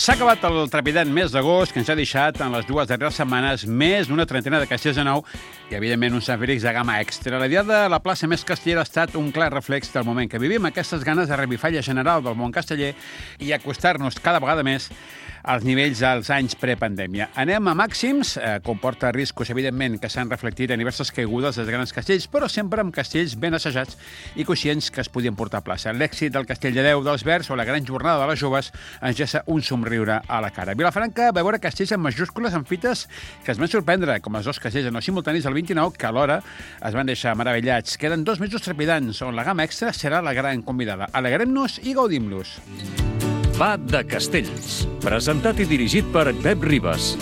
S'ha acabat el trepidant mes d'agost, que ens ha deixat en les dues darreres setmanes més d'una trentena de castells de nou i, evidentment, uns Sant Fèlix de gamma extra. La diada de la plaça més castellera ha estat un clar reflex del moment que vivim, aquestes ganes de revifalla general del món casteller i acostar-nos cada vegada més als nivells dels anys prepandèmia. Anem a màxims, comporta riscos, evidentment, que s'han reflectit en diverses caigudes dels grans castells, però sempre amb castells ben assajats i conscients que es podien portar a plaça. L'èxit del Castell de Déu dels Verds o la gran jornada de les joves ens gessa un somriure a la cara. Vilafranca va veure castells en majúscules amb fites que es van sorprendre, com els dos castells no simultanis del 29, que alhora es van deixar meravellats. Queden 2 mesos trepidants, on la gamma extra serà la gran convidada. Alegrem-nos i gaudim-los. Va de Castells, presentat i dirigit per Pep Ribas.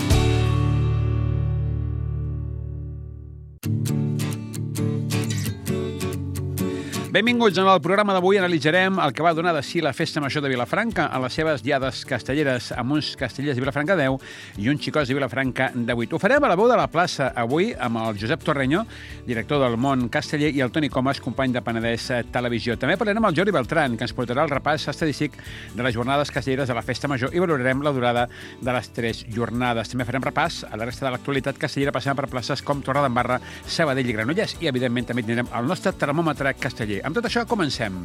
Benvinguts. En el programa d'avui analitzarem el que va donar de si la Festa Major de Vilafranca a les seves diades castelleres amb uns castellers de Vilafranca 10 i uns xicots de Vilafranca de 8. Ho farem a la veu de la plaça avui amb el Josep Torreño, director del Món Casteller, i el Toni Comas, company de Penedès Televisió. També parlarem amb el Jordi Beltran, que ens portarà el repàs estadístic de les jornades castelleres de la Festa Major i valorarem la durada de les 3 jornades. També farem repàs a la resta de l'actualitat castellera passant per places com Torredembarra, Sabadell i Granollers i, evidentment, també tindrem el nostre termòmetre casteller. Amb tot això, comencem.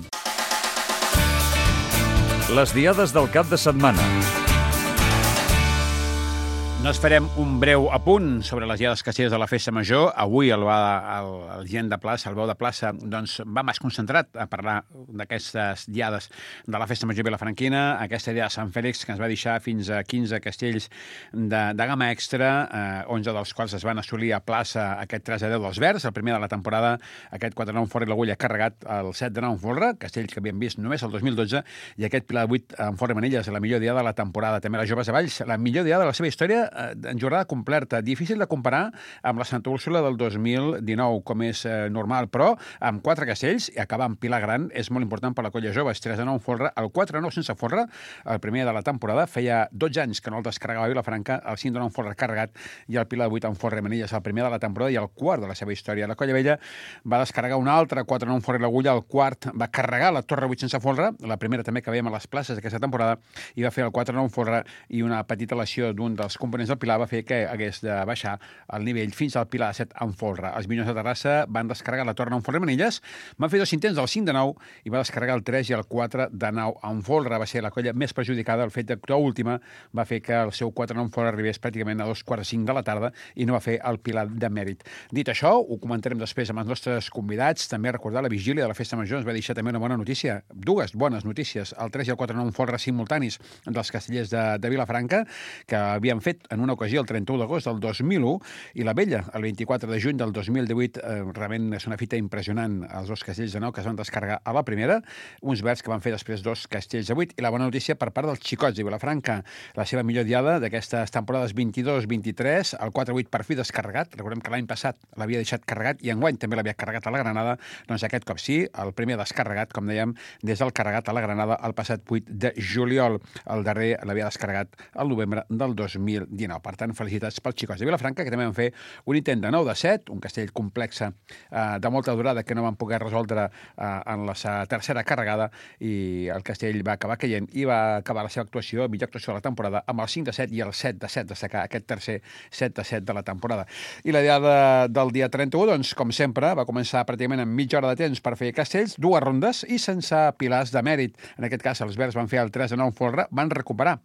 Les diades del cap de setmana. Nos farem un breu apunt sobre les diades castelleres de la Festa Major. Avui el gent de plaça, el veu de plaça, doncs, va més concentrat a parlar d'aquestes diades de la Festa Major vilafranquina, aquesta dia de Sant Fèlix, que ens va deixar fins a 15 castells de gamma extra, 11 dels quals es van assolir a plaça aquest 3-10 dels Verds, el primer de la temporada, aquest 4-9 en Forra i l'Agulla carregat, el 7-9 en Folra, castells que havíem vist només el 2012, i aquest Pilar de 8 en Forra i Manilles, la millor diada de la temporada. També les joves de Valls, la millor diada de la seva història en jornada completa. Difícil de comparar amb la Santa Úrsula del 2019, com és normal, però amb 4 castells i acabar amb Pilar Gran és molt important per la colla jove. 3-9 en Folra, el 4-9 sense Folra, el primer de la temporada. Feia 12 anys que no el descarregava Vilafranca, el 5-9 en Folra carregat i el Pilar de 8 en Forra i Manilles, el primer de la temporada i el quart de la seva història. La colla vella va descarregar un altre 4-9 en Forra i l'Agulla, el quart va carregar la Torre 8 sense Folra, la primera també que veiem a les places d'aquesta temporada, i va fer el 4-9 en Folra i una petita lesió d'un dels components del Pilar va fer que hagués de baixar el nivell fins al Pilar 7 en Folra. Els Minyons de Terrassa van descarregar la Torre 9 en Folra i Manilles, van fer 2 intents del 5-9 i va descarregar el 3 i el 4-9 en Folra. Va ser la colla més perjudicada. El fet d'actuar última va fer que el seu 4-9 en Folra arribés pràcticament a 2:45 de la tarda i no va fer el Pilar de mèrit. Dit això, ho comentarem després amb els nostres convidats. També recordar la vigília de la Festa Major ens va deixar també una bona notícia, 2 bones notícies, el 3 i el 4-9 en Folra simultanis dels castellers de Vilafranca, que havien fet en una ocasió el 31 d'agost del 2001 i la vella el 24 de juny del 2018. Realment és una fita impressionant, els 2 castells de 9 que es van descarregar a la primera, uns verds que van fer després 2 castells de 8 i la bona notícia per part dels xicots de Vilafranca, la seva millor diada d'aquestes temporades 22-23, el 4-8 per fi descarregat. Recordem que l'any passat l'havia deixat carregat i enguany també l'havia carregat a la Granada, doncs aquest cop sí, el primer descarregat, com dèiem, des del carregat a la Granada el passat 8 de juliol. El darrer l'havia descarregat al novembre del 2019. Per tant, felicitats pels xicots de Vilafranca, que també van fer un intent de 9-7, un castell complex de molta durada que no van poder resoldre en la tercera carregada, i el castell va acabar caient i va acabar la seva actuació, millor actuació de la temporada, amb el 5-7 i el 7-7, destacar aquest tercer 7-7 de la temporada. I la diada del dia 31, doncs, com sempre, va començar pràcticament amb mitja hora de temps per fer castells, 2 rondes i sense pilars de mèrit. En aquest cas, els Verds van fer el 3-9 en Folra, van recuperar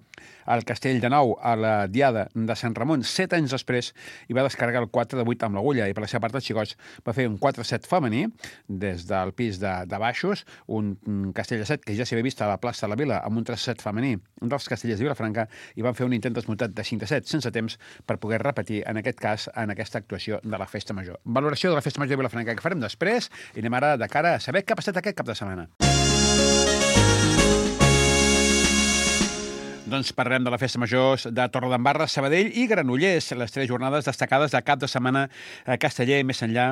el castell de 9 a la diada de Sant Ramon 7 anys després i va descarregar el 4-8 amb l'Agulla, i per la seva part els xicots va fer un 4-7 femení des del pis de baixos, un castell de 7 que ja s'havia vist a la plaça de la Vila amb un 3-7 femení dels castellers de Vilafranca, i van fer un intent desmuntat de 5-7 sense temps per poder repetir en aquest cas en aquesta actuació de la Festa Major. Valoració de la Festa Major de Vilafranca que farem després i anem ara de cara a saber què ha passat aquest cap de setmana. Doncs parlem de la Festa Major de Torredembarra, Sabadell i Granollers, les 3 jornades destacades de cap de setmana casteller, més enllà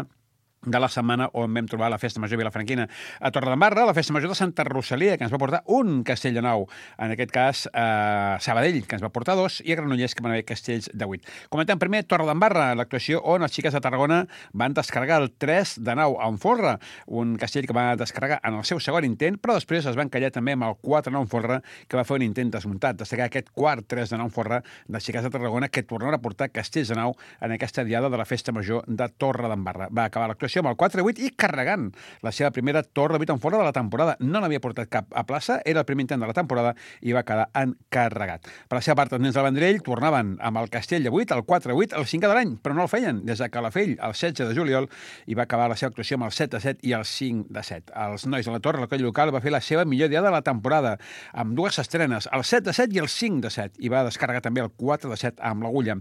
de la setmana on vam trobar la Festa Major Vilafranquina. A Torredembarra, la Festa Major de Santa Rosalia, que ens va portar un castell de 9, en aquest cas Sabadell, que ens va portar 2, i a Granollers, que van haver castells de 8. Comentem primer Torredembarra, l'actuació on els xiques de Tarragona van descarregar el 3 de 9 en folre, un castell que va descarregar en el seu segon intent, però després es van callar també amb el 4 de 9 en folre, que va fer un intent desmuntat. Destacar aquest quart 3 de 9 en folre dels xiques de Tarragona, que tornaran a portar castells de 9 en aquesta diada de la Festa Major de Torredembarra. Va acabar l'actuació amb el 4-8 i carregant la seva primera torre de 8 en folre de la temporada. No n'havia portat cap a plaça, era el primer intent de la temporada i va quedar encarregat. Per la seva part, els nens del Vendrell tornaven amb el castell de 8, el 4-8, el 5 de l'any, però no el feien des de Calafell, el 16 de juliol, i va acabar la seva actuació amb el 7-7 i el 5-7. Els nois de la Torre, la colla local, va fer la seva millor diada de la temporada, amb dues estrenes, el 7-7 i el 5-7, i va descarregar també el 4-7 amb l'agulla.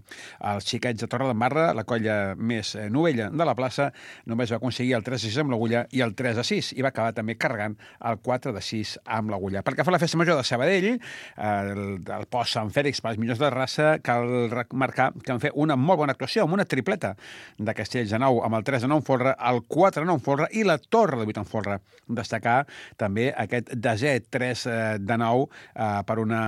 Els xiquets de Torredembarra, la colla més novella de la plaça, només va aconseguir el 3-6 amb l'agulla i el 3-6, i va acabar també carregant el 4-6 amb l'agulla. Pel que fa a la Festa Major de Sabadell, el post Sant Fèlix per als millors de raça, cal remarcar que van fer una molt bona actuació, amb una tripleta de castells de 9, amb el 3 de 9 en folre, el 4 de 9 en folre i la torre de 8 en folre. Destacar també aquest desè 3 de 9 per una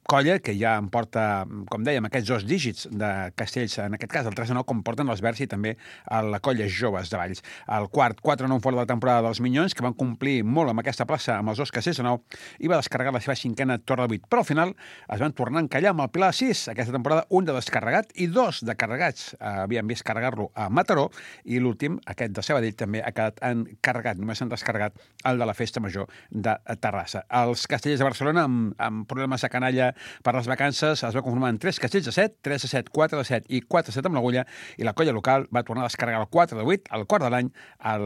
colla que ja em porta, com dèiem, aquests 2 dígits de castells, en aquest cas el 3 de 9, com porten els Verds i també a la colla Joves de Valls. El quart, 4 de 9 fora de la temporada dels Minyons, que van complir molt amb aquesta plaça amb els 2 castells de 9, i va descarregar la seva cinquena torre de 8. Però al final es van tornar a encallar amb el Pilar 6. Aquesta temporada, un de descarregat i 2 de carregats. Havien vist carregar-lo a Mataró, i l'últim, aquest de Sabadell, també ha quedat encarregat. Només s'han descarregat el de la Festa Major de Terrassa. Els castellers de Barcelona, amb problemes de canalla per les vacances, es va conformar en 3 castells de 7, 3 de 7, 4 de 7 i 4 de 7 amb l'agulla, i la colla local va tornar a descarregar el 4 de 8, el quart de l'any,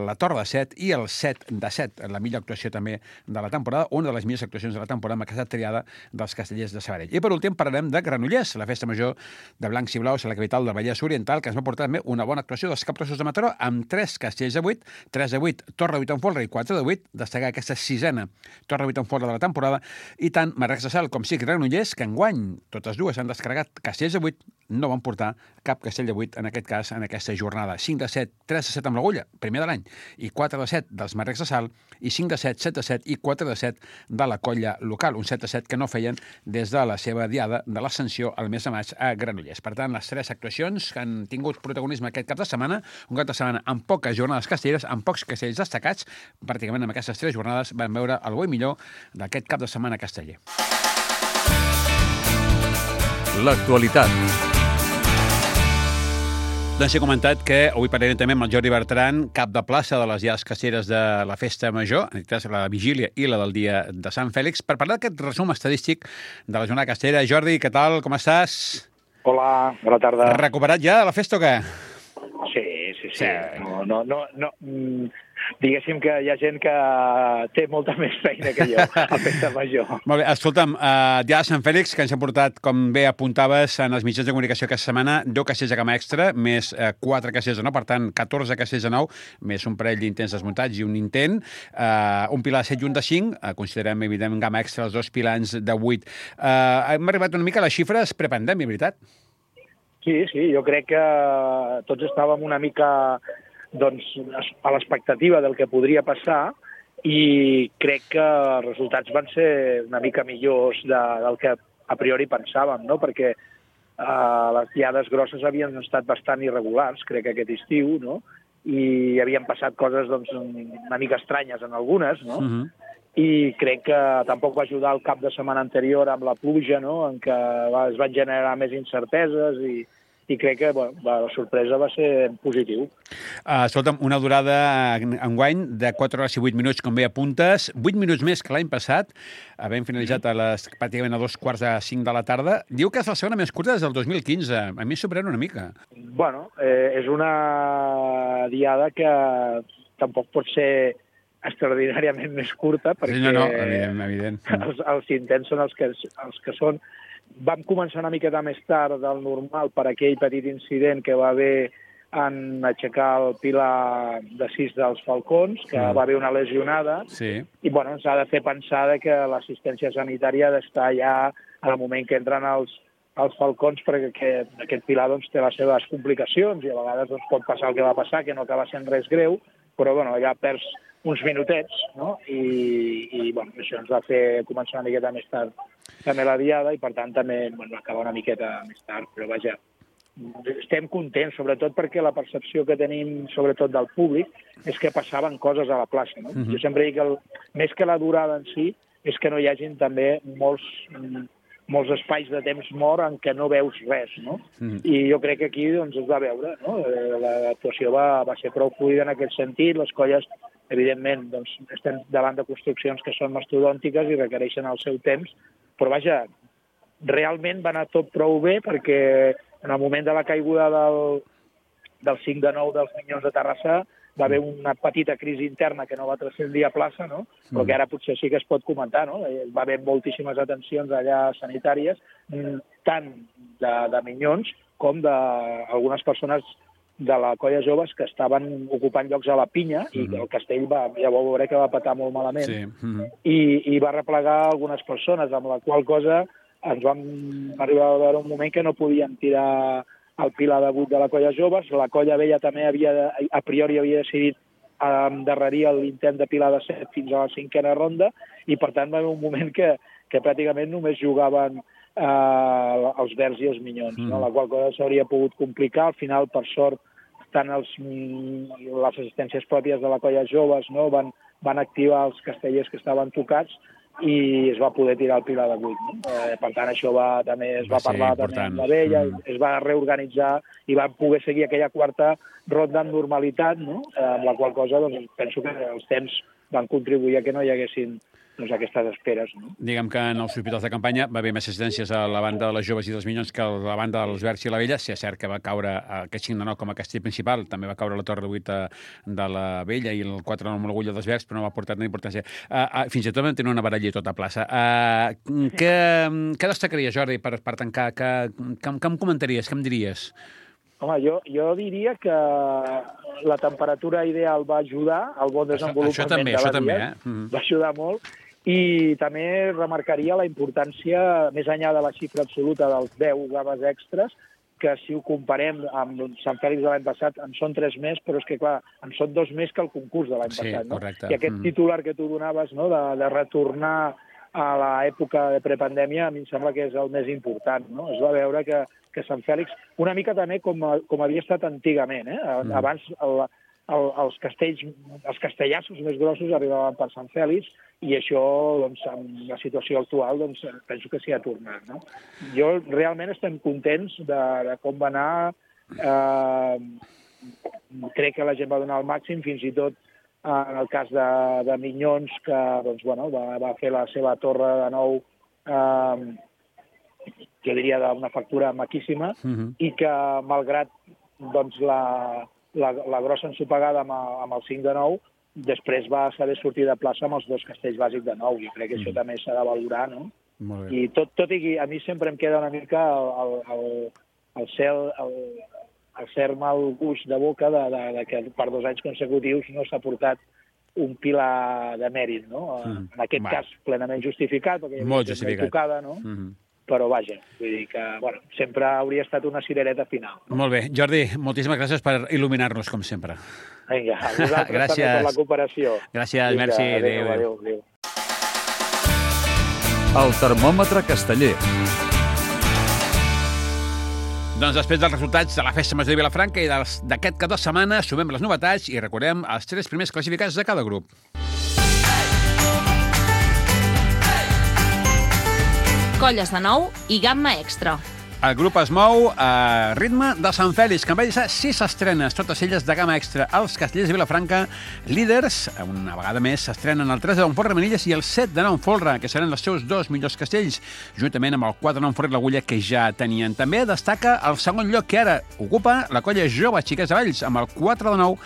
la torre de 7 i el 7 de 7, la millor actuació també de la temporada, una de les millors actuacions de la temporada amb aquesta triada dels castellers de Sabadell. I per últim parlarem de Granollers, la Festa Major de Blancs i Blaus a la capital del Vallès Oriental, que ens va portar també una bona actuació dels capgrossos de Mataró, amb 3 castells de 8, 3 de 8, torre de 8 en folre i 4 de 8, destacar aquesta sisena torre de 8 en folre de la temporada, i tant Marrecs de Sal com sí Granollers, que enguany totes dues han descarregat castells de 8, no van portar cap castell de 8, en aquest cas, en aquesta jornada. 5 de 7, 3 de 7 amb l'agulla, primer de l'any, i 4 de 7 dels Marrecs de Sal, i 5 de 7, 7 de 7 i 4 de 7 de la colla local, un 7 de 7 que no feien des de la seva diada de l'Ascensió al mes de maig a Granollers. Per tant, les 3 actuacions que han tingut protagonisme aquest cap de setmana, un cap de setmana amb poques jornades castelleres, amb pocs castells destacats, pràcticament amb aquestes 3 jornades van veure el bo i millor d'aquest cap de setmana casteller. L'actualitat. Doncs he comentat que avui parlarem també amb el Jordi Bertran, cap de plaça de les diades castelleres de la Festa Major, en aquest cas la vigília i la del dia de Sant Fèlix, per parlar d'aquest resum estadístic de la jornada castellera. Jordi, què tal? Com estàs? Hola, bona tarda. Recuperat ja de la festa o què? Sí. No. Diguéssim que hi ha gent que té molta més feina que jo a Festa Major. Molt bé, escolta'm, dia de Sant Fèlix, que ens ha portat, com bé apuntaves en els mitjans de comunicació aquesta setmana, 2 castells de gamma extra, més 4 castells de 9, per tant, 14 castells de 9, més un parell d'intents desmuntats i un intent, un pilar de 7 i un de 5, considerem, evidentment, gamma extra, els 2 pilans de 8. Hem arribat una mica a les xifres prepandèmia, veritat? Sí, jo crec que tots estàvem una mica doncs, a l'expectativa del que podria passar, i crec que els resultats van ser una mica millors del que a priori pensàvem, no? Perquè les diades grosses havien estat bastant irregulars, crec que aquest estiu, no? I havien passat coses doncs, una mica estranyes en algunes, no? I crec que tampoc va ajudar el cap de setmana anterior amb la pluja, no? En què es van generar més incerteses, i crec que la sorpresa va ser positiu. Escolta'm, una durada enguany de 4 hores i 8 minuts, com bé apuntes, 8 minuts més que l'any passat, havent finalitzat pràcticament a 2:45 de la tarda. Diu que és la segona més curta des del 2015. A mi em sorprèn una mica. Bueno, és una diada que tampoc pot ser extraordinàriament més curta, perquè no, evident. Els intents són els que són. Vam començar una miqueta més tard del normal per aquell petit incident que va haver en aixecar el pilar de 6 dels Falcons, que va haver una lesionada, i ens ha de fer pensar que l'assistència sanitària ha d'estar ja, en el moment que entren els als falcons, perquè aquest pilar doncs, té les seves complicacions i a vegades doncs, pot passar el que va passar, que no acaba sent res greu, però bueno, ja perds uns minutets, no? I bueno, això ens va fer començar una miqueta més tard també la diada i per tant també va acabar una miqueta més tard, però vaja, estem contents, sobretot perquè la percepció que tenim, sobretot del públic, és que passaven coses a la plaça. No? Jo sempre dic que més que la durada en si, és que no hi hagin també molts espais de temps mort en què no veus res, no? I jo crec que aquí doncs, es va veure, no? L'actuació va ser prou fluida en aquest sentit, les colles, evidentment, doncs, estem davant de construccions que són mastodòntiques i requereixen el seu temps, però vaja, realment va anar tot prou bé perquè en el moment de la caiguda del 5 de 9 dels Minyons de Terrassa va haver una petita crisi interna que no va transcendir a plaça, no? Però que ara potser sí que es pot comentar, no? Va haver moltíssimes atencions allà sanitàries, tant de Minyons com d'algunes persones de la colla joves que estaven ocupant llocs a la pinya i el castell ja vau veure que va patar molt malament i va replegar algunes persones, amb la qual cosa ens vam arribar a veure un moment que no podíem tirar el pilar de 8 de la colla joves. La colla vella també a priori havia decidit endarrerir l'intent de pilar de 7 fins a la 5a ronda i per tant va haver un moment que pràcticament només jugaven els verds i els Minyons, no? La qual cosa s'hauria pogut complicar. Al final, per sort, tant les assistències pròpies de la colla joves, no? van activar els castellers que estaven tocats i es va poder tirar el pilar de 8. No? Per tant, això també es va parlar també amb la vella, es va reorganitzar i va poder seguir aquella quarta ronda amb normalitat, no? Amb la qual cosa doncs, penso que els temps van contribuir a que no hi haguessin aquestes esperes. No? Diguem que en els hospitals de campanya va haver més assistències a la banda de les joves i dels Minyons que a la banda dels verds i la vella. Si és cert que va caure aquest 5 de 9 com a castell principal, també va caure la torre de 8 de la vella i el 4 de 9 amb l'agulla dels verds, però no va portar tanta importància. Fins i tot vam tenir una baralla tota a plaça. Què destacaria, Jordi, per tancar? Què em comentaries? Què em diries? Home, jo diria que la temperatura ideal va ajudar al bon desenvolupament de la diada. Va ajudar molt. I també remarcaria la importància, més enllà de la xifra absoluta dels 10 gaves extras, que si ho comparem amb Sant Fèlix de l'any passat, en són 3 més, però és que, clar, en són 2 més que el concurs de l'any passat. No? I aquest titular que tu donaves, no?, de retornar a l'època de prepandèmia, a mi em sembla que és el més important. No? Es va veure que Sant Fèlix, una mica també com havia estat antigament. Abans els castellassos més grossos arribaven per Sant Fèlix i això, doncs, amb la situació actual, doncs, penso que s'hi ha tornat. No? Jo realment estem contents de com va anar. Crec que la gent va donar el màxim, fins i tot en el cas de Minyons, que doncs, bueno, va fer la seva torre de nou, jo diria d'una factura maquíssima, i que malgrat doncs, la grossa ensopegada amb el 5 de 9, després va saber sortir de plaça amb els 2 castells bàsics de 9. Jo crec que això també s'ha de valorar, no? I tot i que a mi sempre em queda una mica el cert mal gust de boca de que per 2 anys consecutius no s'ha portat un pilar de mèrit, no? En aquest cas plenament justificat, perquè hi havia gent tocada, no? Però vaja, vull dir que sempre hauria estat una cirereta final. Molt bé. Jordi, moltíssimes gràcies per il·luminar-nos, com sempre. Vinga, a vosaltres també per la cooperació. Gràcies, merci. Adéu. El termòmetre casteller. Doncs després dels resultats de la Festa Major de Vilafranca i d'aquest cap de setmana sumem les novetats i recordem els 3 primers classificats de cada grup. Colles de nou i gamma extra. El grup es mou a ritme de Sant Fèlix, que en va deixar 6 estrenes, totes elles de gamma extra. Els castellers de Vilafranca, líders, una vegada més, s'estrenen el 3 de Folra Manilles i el 7 de Folra, que seran els seus 2 millors castells, juntament amb el 4 de Folra i l'Agulla, que ja tenien. També destaca el segon lloc, que ara ocupa la colla jove Xiquets de Valls, amb el 4 de 9,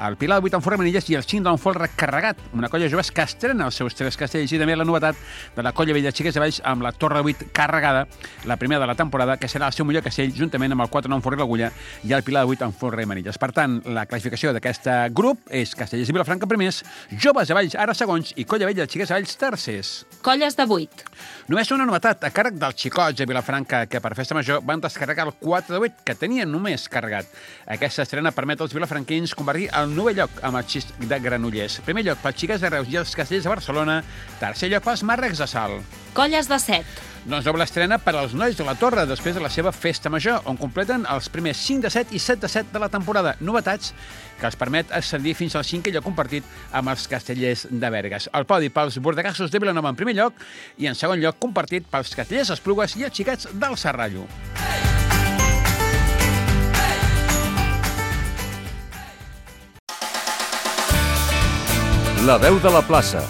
el Pilar de 8 en Folra Manilles i el 5 de Folra carregat, una colla jove que estrena els seus 3 castells, i també la novetat de la colla vella Xiquets de Valls amb la Torre 8 carregada, la primera de la temporada, que que serà el seu millor castell, juntament amb el 4-9 Forrer l'Agulla i el Pilar de 8 amb Forrer i Manilles. Per tant, la classificació d'aquest grup és Castellers i Vilafranca primers, Joves de Valls ara segons i Colla Vella de Xiquets de Valls tercers. Colles de 8. Només una novetat a càrrec dels xicots de Vilafranca que per Festa Major van descarregar el 4 de 8 que tenien només carregat. Aquesta estrena permet als vilafranquins convertir el 9è lloc amb el xist de Granollers. Primer lloc pels xiquets de Reus i els Castellers de Barcelona, tercer lloc pels marrecs de Salt. Colles de 7. Doncs doble estrena per als nois de la Torre després de la seva Festa Major, on completen els primers 5 de 7 i 7 de 7 de la temporada. Novetats que els permet ascendir fins al 5è lloc compartit amb els Castellers de Bergues. El podi pels bordegassos de Vilanova en primer lloc i en segon lloc compartit pels Castellers d'Esplugues i els xiquets del Serrallo. La veu de la plaça.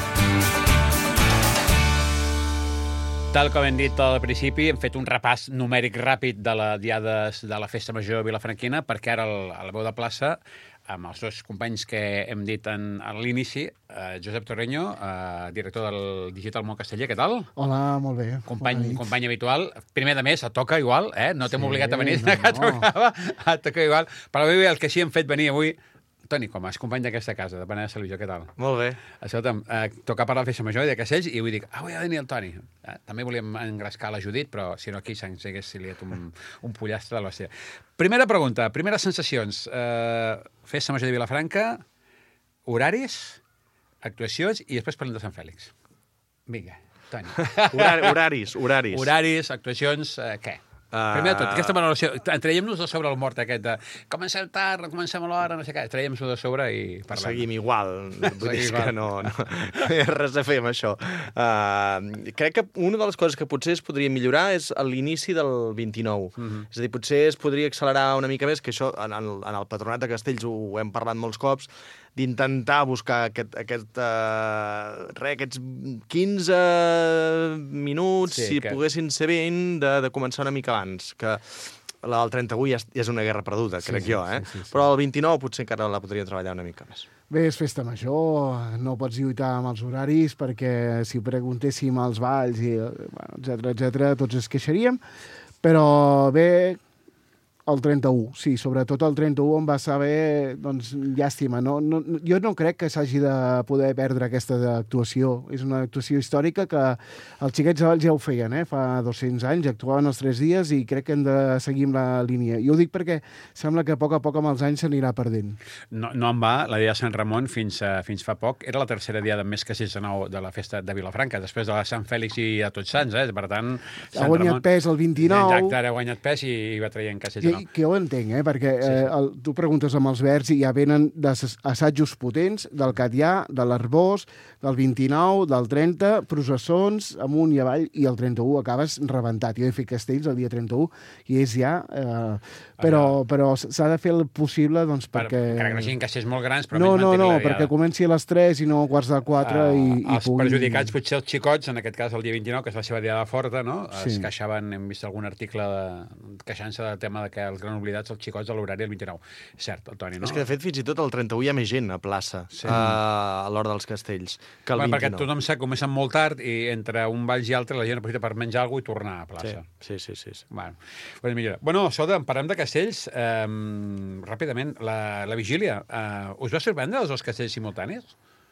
Tal com hem dit al principi, hem fet un repàs numèric ràpid de la diades de la Festa Major vilafranquina, perquè ara a la veu de plaça, amb els dos companys que hem dit a l'inici, Josep Torreño, director del Digital Món Casteller, què tal? Hola, molt bé. Company habitual. Primer de mes, et toca igual, no t'hem obligat a venir, que tocava, et toca igual. Però avui el que sí hem fet venir avui, Toni, com a company d'aquesta casa, de Penedès Televisió, què tal? Molt bé. Escolta'm, toca parlar de Festa Major i de castells, i avui dic, avui ha de venir el Toni. També volíem engrescar la Judit, però si no aquí s'hagués liat un pollastre de l'hòstia. Primera pregunta, primeres sensacions. Festa Major de Vilafranca, horaris, actuacions, i després parlem de Sant Fèlix. Vinga, Toni. Horaris. Horaris, actuacions, què? Primer de tot, aquesta valoració, traiem-nos de sobre el mort aquest de comencem tard, comencem a l'hora, no sé què, traiem-nos de sobre i parlem. Seguim igual, vull dir que no hi ha res a fer amb això. Crec que una de les coses que potser es podria millorar és l'inici del 29. És a dir, potser es podria accelerar una mica més, que això en el Patronat de Castells ho hem parlat molts cops, d'intentar buscar aquests 15 minuts, si poguessin ser 20, de començar una mica abans, que la del 31 ja és una guerra perduda, crec jo, sí. Però el 29 potser encara la podria treballar una mica més. Bé, és Festa Major, no pots lluitar amb els horaris, perquè si preguntéssim als balls, etcètera, tots es queixaríem, però bé, el 31, sí, sobretot el 31 em va saber, doncs, llàstima. Jo no crec que s'hagi de poder perdre aquesta actuació. És una actuació històrica que els xiquets de Valls ja ho feien, fa 200 anys, actuaven els 3 dies i crec que hem de seguir amb la línia. Jo ho dic perquè sembla que a poc amb els anys s'anirà perdent. No en va, la dia de Sant Ramon fins fa poc. Era la tercera diada més Castells de Nou de la festa de Vilafranca, després de la Sant Fèlix i de Tots Sants, Per tant, ha guanyat pes el 29. Exacte, ha guanyat pes i va traient Castells de Nou. Que jo ho entenc, perquè tu preguntes amb els verbs i ja venen d'assajos potents del Catllà, de l'Arbós, del 29, del 30, processons, amunt i avall, i el 31 acabes rebentat. Jo he fet Castells el dia 31 i és ja... Però s'ha de fer el possible, doncs, perquè... Encara que no siguin castells molt grans, però No, perquè comenci a les 3 i no a quarts de 4 i els perjudicats, potser els xicots, en aquest cas el dia 29, que és la seva diada forta, no? Es queixaven, hem vist algun article queixant-se del tema de que els gran oblidats els xicots a l'horari del 29. Cert, el Toni, no? És que, de fet, fins i tot el 31 hi ha més gent a plaça, a l'hora dels castells, que el 29. Perquè tothom sap que comencen molt tard i entre un valls i altre la gent aprofita per menjar alguna cosa i tornar a plaça. Sí. Bueno, Soda, parlem de castells. Ràpidament, la vigília. Us va sorprendre els dos castells simultanis?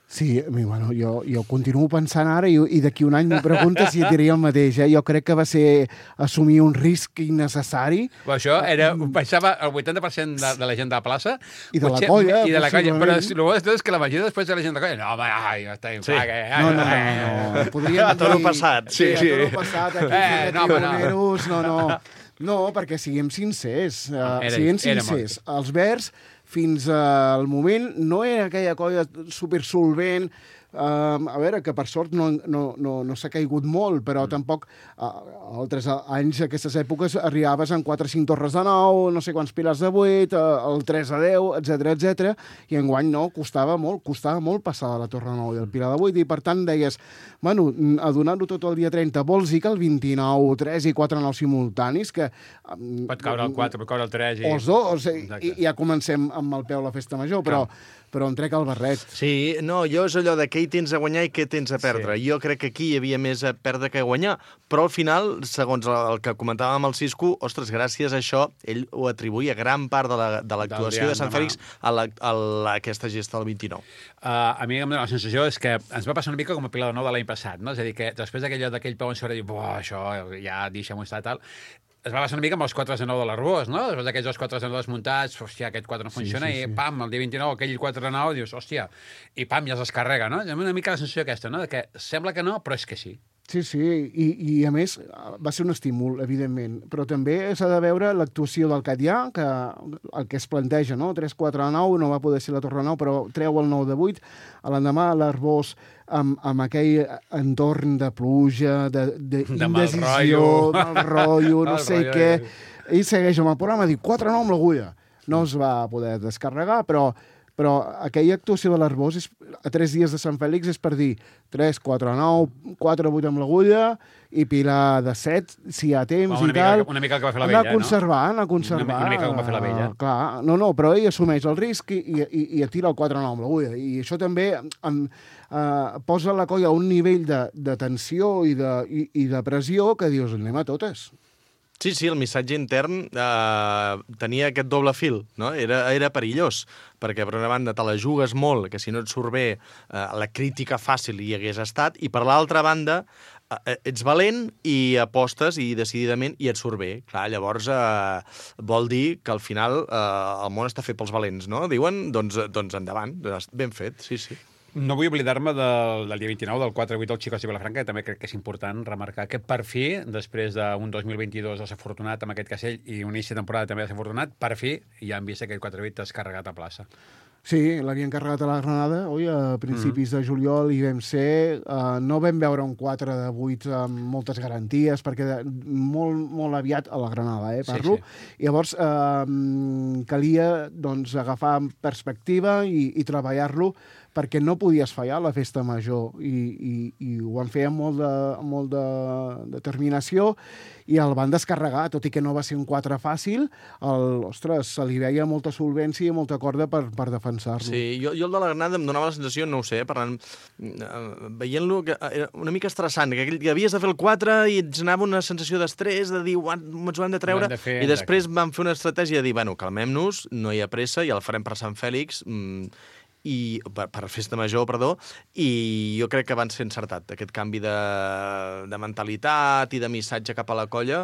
Sí, bueno, jo continuo pensant ara i d'aquí un any m'ho preguntes si diria el mateix. Jo crec que va ser assumir un risc innecessari. Però això baixava el 80% de la gent de la plaça. I de la colla. I de la colla. Però el bo és que la majoria després de la gent de la colla... No, home, està bien. No. Podríem dir... Toro passat. Sí, toro passat. No, perquè siguem sincers. Els Verds, fins al moment, no era aquella colla supersolvent. A veure, que per sort no s'ha caigut molt, però tampoc altres anys, aquestes èpoques, arribaves en 4 o 5 torres de 9, no sé quants pilars de 8, el 3 a 10, etc. I enguany no, costava molt passar de la torre de 9 i el pilar de 8, i per tant deies, bueno, a donar-ho tot el dia 30, vols dir que el 29, 3 i 4 9 simultanis, que... Pot caure el 4, pot caure el 3... Els dos, i ja comencem amb el peu a la festa major, però em trec el barret. Sí, no, jo és allò de què hi tens a guanyar i què tens a perdre. Jo crec que aquí hi havia més a perdre que a guanyar, però al final, segons el que comentàvem amb el Cisco, ostres, gràcies a això, ell ho atribuïa gran part de l'actuació de Sant Fèlix a aquesta gesta del 29. A mi em dóna la sensació és que ens va passar una mica com a Pilar de Nou de l'any passat, no? És a dir, que després d'aquell peu on s'haurà dit, això ja deixem-ho estar, tal, es va passar una mica amb els 4-9 de l'Arbós, no? Després d'aquells 2 4-9 desmuntats, hòstia, aquest 4 no funciona, i pam, el dia 29, aquell 4-9, dius, hòstia, i pam, ja es descarrega, no? Una mica la sensació aquesta, no? De que sembla que no, però és que sí. Sí, i a més va ser un estímul, evidentment, però també s'ha de veure l'actuació del Catllà, que el que es planteja, no? 3-4-9, no va poder ser la Torre 9, però treu el 9-8, a l'endemà l'Arbós amb aquell entorn de pluja, d'indecisió, mal rotllo, no sé què, ell segueix amb el programa, diu 4-9 amb l'agulla. No es va poder descarregar, però aquella actuació de l'Arbós a 3 dies de Sant Fèlix és per dir 3-4-9, 4-8 amb l'agulla i Pilar de 7, si hi ha temps i tal. Una mica el que va fer la Vella, anar conservant. Una mica com va fer la Vella. Clar, no, però ell assumeix el risc i tira el 4-9 amb l'agulla. I això també posa la colla a un nivell de tensió i de pressió que dius, anem a totes. Sí, el missatge intern tenia aquest doble fil, no? Era perillós, perquè per una banda te la jugues molt, que si no et surt bé la crítica fàcil hi hagués estat, i per l'altra banda ets valent i apostes i decididament i et surt bé. Clar, llavors vol dir que al final el món està fet pels valents, no? Diuen, doncs endavant, ben fet, sí. No vull oblidar-me del dia 29, del 4-8 del Xicòs i Vilafranca, que també crec que és important remarcar que per fi, després d'un 2022 desafortunat amb aquest Castell i un inici de temporada també desafortunat, per fi ja han vist que aquest 4-8 descarregat a plaça. Sí, l'havien carregat a la Granada, a principis de juliol hi vam ser. No vam veure un 4-8 amb moltes garanties, perquè molt aviat a la Granada, parlo. Sí. Llavors, calia agafar perspectiva i treballar-lo perquè no podies fallar la festa major i ho van fer amb molt de determinació i el van descarregar, tot i que no va ser un 4 fàcil, se li veia molta solvència i molta corda per defensar-lo. Sí, jo el de la Granada em donava la sensació, no ho sé, parlant, veient-lo, que era una mica estressant, que havies de fer el 4 i ens anava una sensació d'estrès, de dir, ens ho hem de treure, i després vam fer una estratègia de dir, bueno, calmem-nos, no hi ha pressa, ja el farem per Sant Fèlix, i per festa major, perdó, i jo crec que van ser encertat. Aquest canvi de mentalitat i de missatge cap a la colla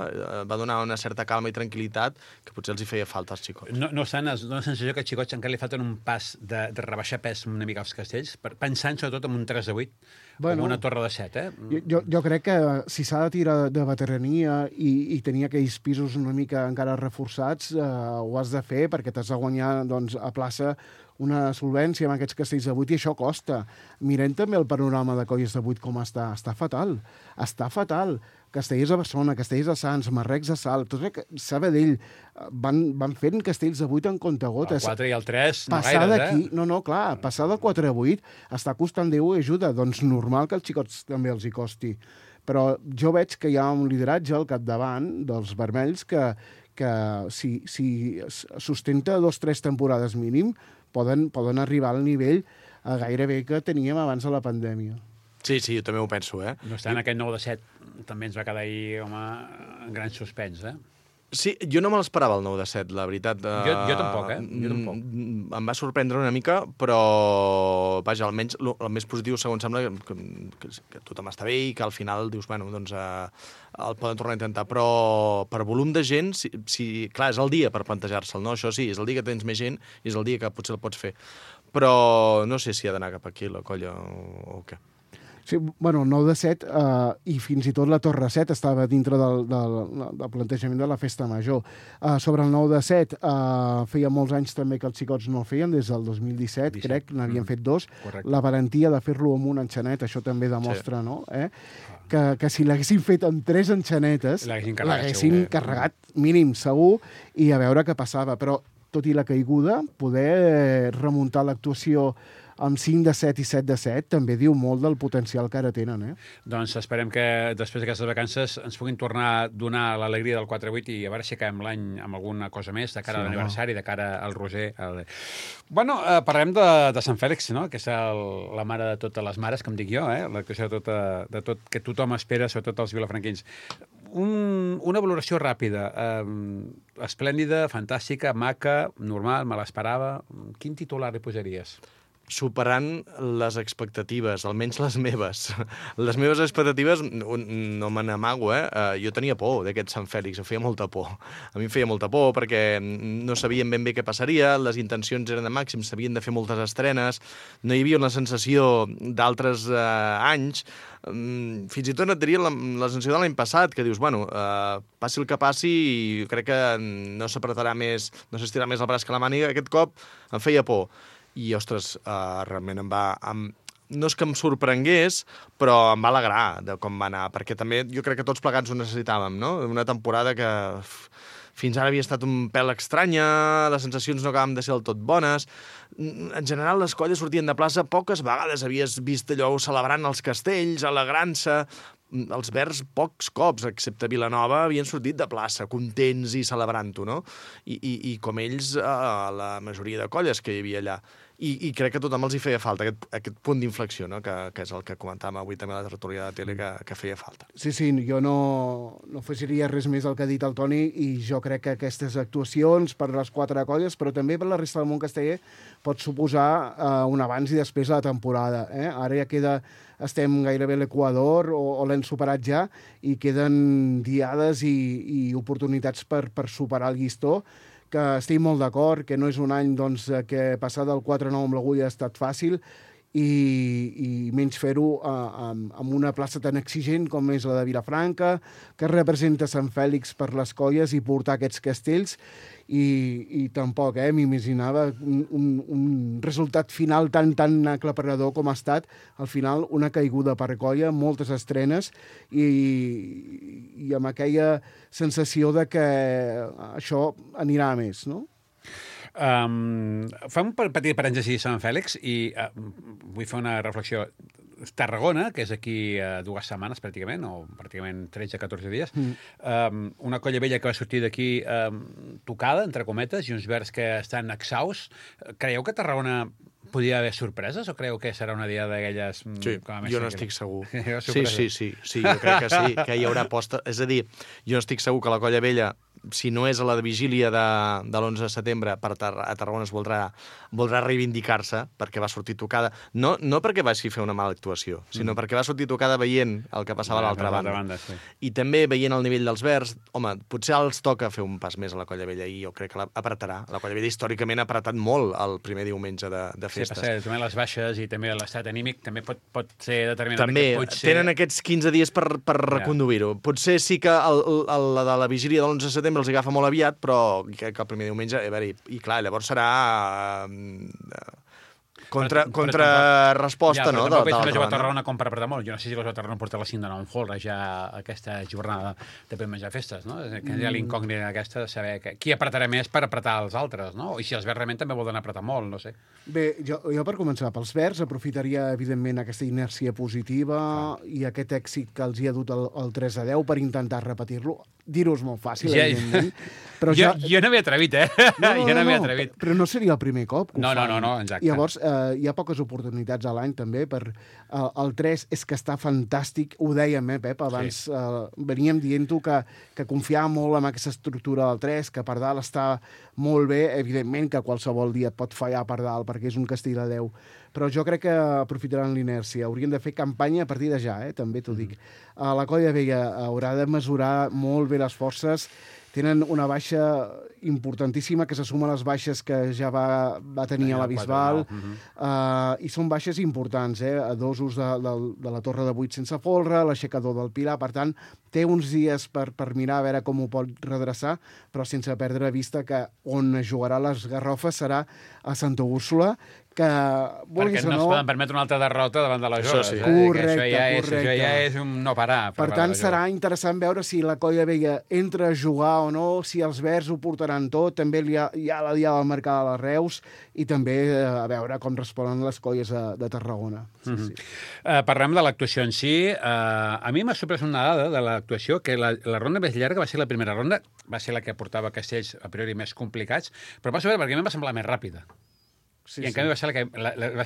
va donar una certa calma i tranquil·litat que potser els hi feia falta als xicots. No obstant, es dona la sensació que als xicots encara li falten un pas de rebaixar pes una mica als castells, pensant sobretot en un 3-8, com una torre de 7, Jo crec que si s'ha de tirar de veterania i tenir aquells pisos una mica encara reforçats, ho has de fer perquè t'has de guanyar a plaça una solvència amb aquests castells de 8 i això costa. Mirem també el panorama de colles de 8 com està. Està fatal. Castellers a Barcelona, Castellers a Sants, Marrecs a Salt, tot Sabadell, van fent castells de 8 en comptagotes. El 4 i el 3, no gaires, clar, passar del 4 a 8 està costant Déu i ajuda. Doncs normal que als xicots també els hi costi. Però jo veig que hi ha un lideratge al capdavant dels vermells que si sustenta 2-3 temporades mínim, poden arribar al nivell gairebé que teníem abans de la pandèmia. Sí, jo també ho penso, No està en aquest 9-7, també ens va quedar ahir, en gran suspens, Sí, jo no me l'esperava el 9-7, la veritat. Jo tampoc, Jo tampoc. Em va sorprendre una mica, però, vaja, almenys el més positiu, segons sembla, que tothom està bé i que al final dius, bueno, doncs el poden tornar a intentar. Però per volum de gent, clar, és el dia per plantejar-se'l, no? Això sí, és el dia que tens més gent i és el dia que potser el pots fer. Però no sé si ha d'anar cap aquí la colla o què. Sí, el 9-7 i fins i tot la Torre 7 estava dintre del plantejament de la festa major. Sobre el 9-7 feia molts anys també que els xicots no feien, des del 2017, crec, n'havien fet 2. Correcte. La valentia de fer-lo amb un enxanet, això també demostra, no? Que si l'haguessin fet amb 3 enxanetes, l'haguessin carregat mínim, segur, i a veure què passava. Però, tot i la caiguda, poder remuntar l'actuació amb 5 de 7 i 7 de 7, també diu molt del potencial que ara tenen, Doncs esperem que després d'aquestes vacances ens puguin tornar a donar l'alegria del 4-8 i a veure si acabem l'any amb alguna cosa més de cara a l'aniversari, de cara al Roser. Bueno, parlem de Sant Fèlix, no? Que és la mare de totes les mares, com dic jo, l'actuació de tot que tothom espera, sobretot els vilafranquins. Una valoració ràpida, esplèndida, fantàstica, maca, normal, me l'esperava. Quin titular li posaries? Superant les expectatives, almenys les meves. Les meves expectatives no me n'amago, Jo tenia por d'aquest Sant Fèlix, em feia molta por. A mi em feia molta por perquè no sabíem ben bé què passaria, les intencions eren de màxim, s'havien de fer moltes estrenes, no hi havia una sensació d'altres anys, fins i tot et diria la sensació de l'any passat, que dius, bueno, passi el que passi, i crec que no s'apretarà més, no s'estirà més el braç que la màniga, aquest cop em feia por. I, ostres, realment no és que em sorprengués, però em va alegrar de com va anar, perquè també jo crec que tots plegats ho necessitàvem, no? Una temporada que fins ara havia estat un pèl estranya, les sensacions no acabaven de ser del tot bones. En general, les colles sortien de plaça, poques vegades havies vist allò celebrant els castells, alegrant-se. Els Verds pocs cops, excepte Vilanova, havien sortit de plaça, contents i celebrant-ho, no? I com ells, la majoria de colles que hi havia allà. I crec que a tothom els hi feia falta, aquest punt d'inflexió, no? Que és el que comentàvem avui també a la tertúlia de tele, que feia falta. Sí, jo no afegiria res més al que ha dit el Toni, i jo crec que aquestes actuacions per les 4 colles, però també per la resta del món casteller, pot suposar un abans i després de la temporada. Ara ja estem gairebé a l'Equador, o l'hem superat ja, i queden diades i oportunitats per superar el llistó, que estic molt d'acord, que no és un any que passar del 4-9 amb l'agulla ha estat fàcil, i menys fer-ho amb una plaça tan exigent com és la de Vilafranca, que representa Sant Fèlix per les colles i portar aquests castells, i tampoc m'imaginava un resultat final tan aclaparador com ha estat. Al final, una caiguda per colla, moltes estrenes, i amb aquella sensació de que això anirà a més, no? Fa un petit parèntesi a Sant Fèlix i vull fer una reflexió. Tarragona, que és aquí 2 setmanes pràcticament, o pràcticament 13-14 dies, una colla vella que va sortir d'aquí tocada, entre cometes, i uns Verds que estan exhausts. Creieu que Tarragona podria haver sorpreses, o creu que serà una dia d'aquelles... Sí, jo no estic segur. Sí, jo crec que sí, que hi haurà aposta. És a dir, jo no estic segur que la colla vella, si no és a la vigília de l'11 de setembre, a Tarragona es voldrà reivindicar-se, perquè va sortir tocada. No perquè vagi fer una mala actuació, sinó perquè va sortir tocada veient el que passava a l'altra banda. Sí. I també veient el nivell dels Verds, home, potser els toca fer un pas més a la colla vella, i jo crec que l'apretarà. La colla vella històricament ha apretat molt el primer diumenge de festes. Sí, també les baixes i també l'estat anímic també pot ser determinant. També tenen aquests 15 dies per reconduir-ho. Potser sí que la de la vigília de l'11 de setembre els agafa molt aviat, però crec que el primer diumenge... I clar, llavors serà contrarresposta, no? Però tampoc veig una Tarragona com per apretar molt. Jo no sé si la Tarragona porta la cinta on folre ja aquesta jornada de per menjar festes, no? Que hi ha l'incògnita aquesta de saber qui apretarà més per apretar els altres, no? I si els Verds realment també volen apretar molt, no sé. Bé, jo per començar, pels Verds aprofitaria, evidentment, aquesta inèrcia positiva i aquest èxit que els hi ha dut el 3-10 per intentar repetir-lo. Dir-ho és molt fàcil, evidentment. Però jo no m'he atrevit, Jo no m'he atrevit. Però no seria el primer cop que ho fan. No, exacte. Llavors, hi ha poques oportunitats a l'any, també, per... El 3 és que està fantàstic, ho dèiem, Pep, abans veníem dient-ho que confiava molt en aquesta estructura del 3, que per dalt està molt bé, evidentment que qualsevol dia et pot fallar per dalt, perquè és un castell de 10, però jo crec que aprofitaran l'inèrcia. Haurien de fer campanya a partir de ja, també t'ho dic. La colla vella haurà de mesurar molt bé les forces. Tenen una baixa importantíssima que se suma a les baixes que ja va tenir a la Bisbal, i són baixes importants, a dosos de la Torre de 8 sense folre, l'aixecador del Pilar. Per tant, té uns dies per mirar a veure com ho pot redreçar, però sense perdre de vista que on jugarà les garrofes serà a Santa Úrsula, que perquè no es poden permetre una altra derrota davant de la Jove. Sí. Correcte. Això ja és un no parar. Per tant, serà interessant veure si la Colla Vella entra a jugar o no, si els verds ho portaran tot, també hi ha la diada marcada a les Reus, i també a veure com responen les colles de Tarragona. Sí. Parlem de l'actuació en si. A mi m'ha sorprès una dada de l'actuació, que la ronda més llarga va ser la primera ronda, va ser la que portava castells a priori més complicats, però va ser perquè a mi em va semblar més ràpida. I en canvi va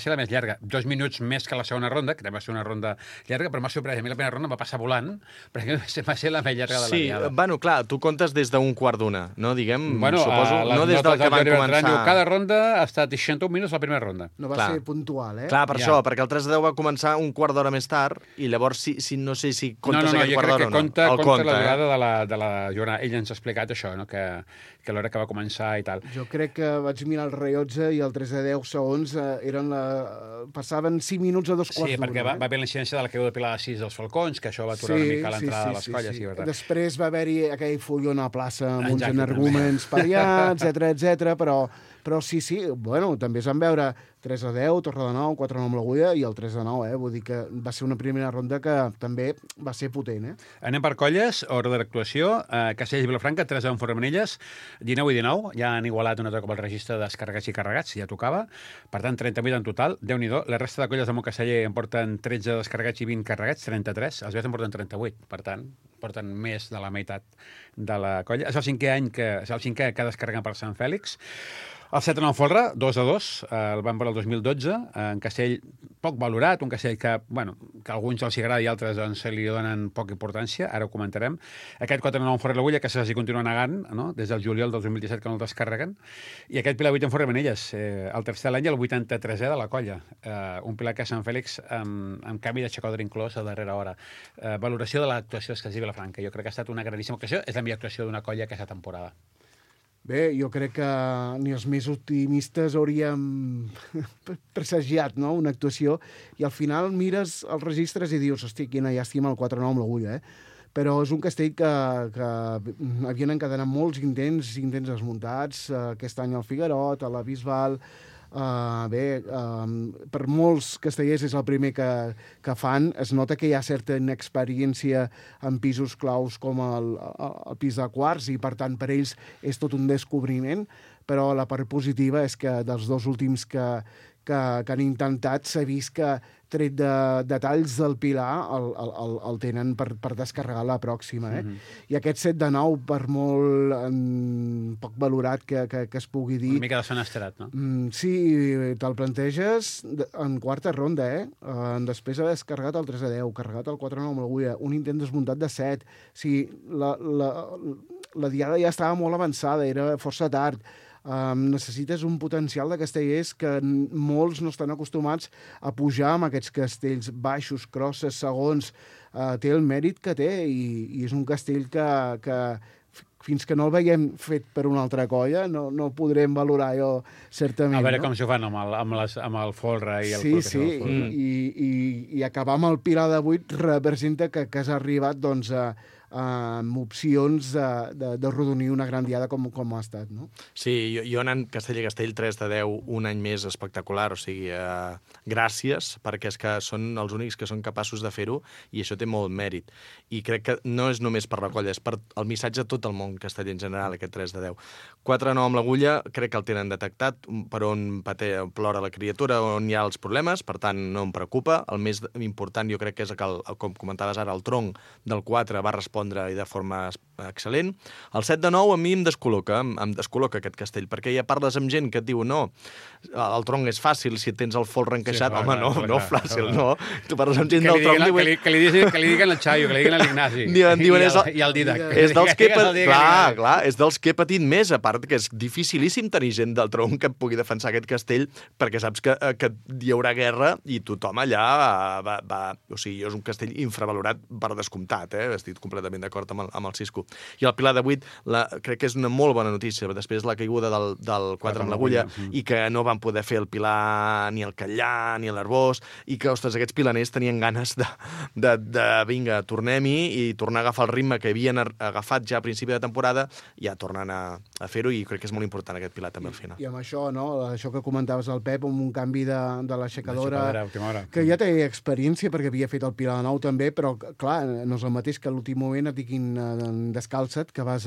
ser la més llarga. 2 minuts més que la segona ronda, que també va ser una ronda llarga, però m'ha sorprès. A mi la primera ronda va passar volant, perquè va ser la més llarga de la diada. Sí, bueno, clar, tu comptes des d'un quart d'una, no? Diguem, suposo, no des del que van començar. Cada ronda ha estat 61 minuts la primera ronda. No va ser puntual, eh? Clar, per això, perquè el 3 de 10 va començar un quart d'hora més tard, i llavors no sé si comptes aquest quart d'hora o no. No, jo crec que compta la durada de la jornada. Ell ens ha explicat això, no? Que l'hora que va començar i tal. Jo crec que vaig mirar el rellotge i el 3 de 10 segons passaven 5 minuts a 2 quarts d'una. Sí, perquè va haver la incidència de la caiguda de Pilar de 6 dels Falcons, que això va aturar una mica l'entrada de les colles. Sí. Després va haver-hi aquell follon a plaça amb uns energúmens pariats, etc, però sí, bueno, també es van veure 3 a 10, Torre de 9, 4 a 9 amb l'agulla i el 3 a 9, vull dir que va ser una primera ronda que també va ser potent, Anem per colles, ordre d'actuació, Castells i Vilafranca, 3 a 1 Fornells, 19 i 19, ja han igualat un altre cop el registre de descarregats i carregats, ja tocava, per tant 38 en total, Déu-n'hi-do, la resta de colles de Montcasteller en porten 13 descarregats i 20 carregats, 33, els Verds en porten 38, per tant, porten més de la meitat de la colla. És el cinquè que descarreguen per Sant Fèlix. El 7 a 9 Folre, 2 a 2, el van veure el 2012, en castell poc valorat, un castell que a alguns els agrada i altres doncs, li donen poca importància, ara ho comentarem. Aquest 4 a 9 en Forre l'Agulla, que s'hi continua negant, no? Des del juliol del 2017 que no el descarreguen, i aquest Pilar 8 en Forre Manelles, el tercer de l'any, el 83è de la colla, un Pilar que a Sant Fèlix amb canvi de xacodre inclòs a darrera hora. Valoració de l'actuació dels Castells i Vilafranca, jo crec que ha estat una grandíssima ocasió, és la millor actuació d'una colla aquesta temporada. Bé, jo crec que ni els més optimistes hauríem presagiat, no?, una actuació, i al final mires els registres i dius, hosti, quina llàstima el 4-9 amb l'agulla, Però és un castell que havien encadenat molts intents desmuntats, aquest any al Figuerot, a la Bisbal. Per molts castellers és el primer que fan. Es nota que hi ha certa inexperiència en pisos claus com el pis de quarts, i per tant per ells és tot un descobriment, però la part positiva és que dels dos últims que han intentat s'ha vist que tret de detalls del Pilar el tenen per descarregar la pròxima. I aquest 7 de 9, per molt poc valorat que es pugui dir... Una mica desfenestrat, no? Sí, te'l planteges en quarta ronda, després haver descarregat el 3 a 10, carregat el 4 a 9 amb l'agulla, un intent desmuntat de 7. O sigui, la diada ja estava molt avançada, era força tard. Necessites un potencial de castellers que molts no estan acostumats a pujar amb aquests castells baixos, crosses, segons. Té el mèrit que té, i és un castell que fins que no el veiem fet per una altra colla no podrem valorar jo certament. A veure com s'ho fan amb el folre i el Sí, i acabar amb el Pilar de 8 representa que has arribat doncs amb opcions de rodonir una gran diada com ha estat, no? Sí, jo anant Castell i Castell 3 de 10 un any més espectacular, o sigui, gràcies, perquè és que són els únics que són capaços de fer-ho, i això té molt mèrit. I crec que no és només per la colla, és per el missatge a tot el món casteller en general, aquest 3 de 10. 4 a 9 amb l'agulla, crec que el tenen detectat, per on plora la criatura, on hi ha els problemes, per tant no em preocupa. El més important jo crec que és que, com comentaves ara, el tronc del 4 va respondre i de forma excel·lent. El 7 de 9 a mi em descol·loca aquest castell, perquè ja parles amb gent que et diu no, el tronc és fàcil si tens el folre encaixat. Home, no, fàcil, no. Tu parles amb gent del tronc... Que li diguin al Xaio, que li diguin a l'Ignasi i al Didac. És dels que he patit més, a part que és dificilíssim tenir gent del tronc que pugui defensar aquest castell, perquè saps que hi haurà guerra i tothom allà va... O sigui, és un castell infravalorat per descomptat, estic completament completament d'acord amb el Cisco. I el Pilar de 8 crec que és una molt bona notícia, després la caiguda del 4 amb l'agulla, i que no van poder fer el Pilar ni el Catllà ni l'Arbós, i que, ostres, aquests pilaners tenien ganes de vinga, tornem-hi i tornar a agafar el ritme que havien agafat ja a principi de temporada, ja tornen a fer-ho, i crec que és molt important aquest Pilar també al final. I amb això, no? Això que comentaves el Pep, amb un canvi de l'aixecadora, que ja té experiència perquè havia fet el Pilar de 9 també, però clar, no és el mateix que a l'últim moment et diguin descalça't, que vas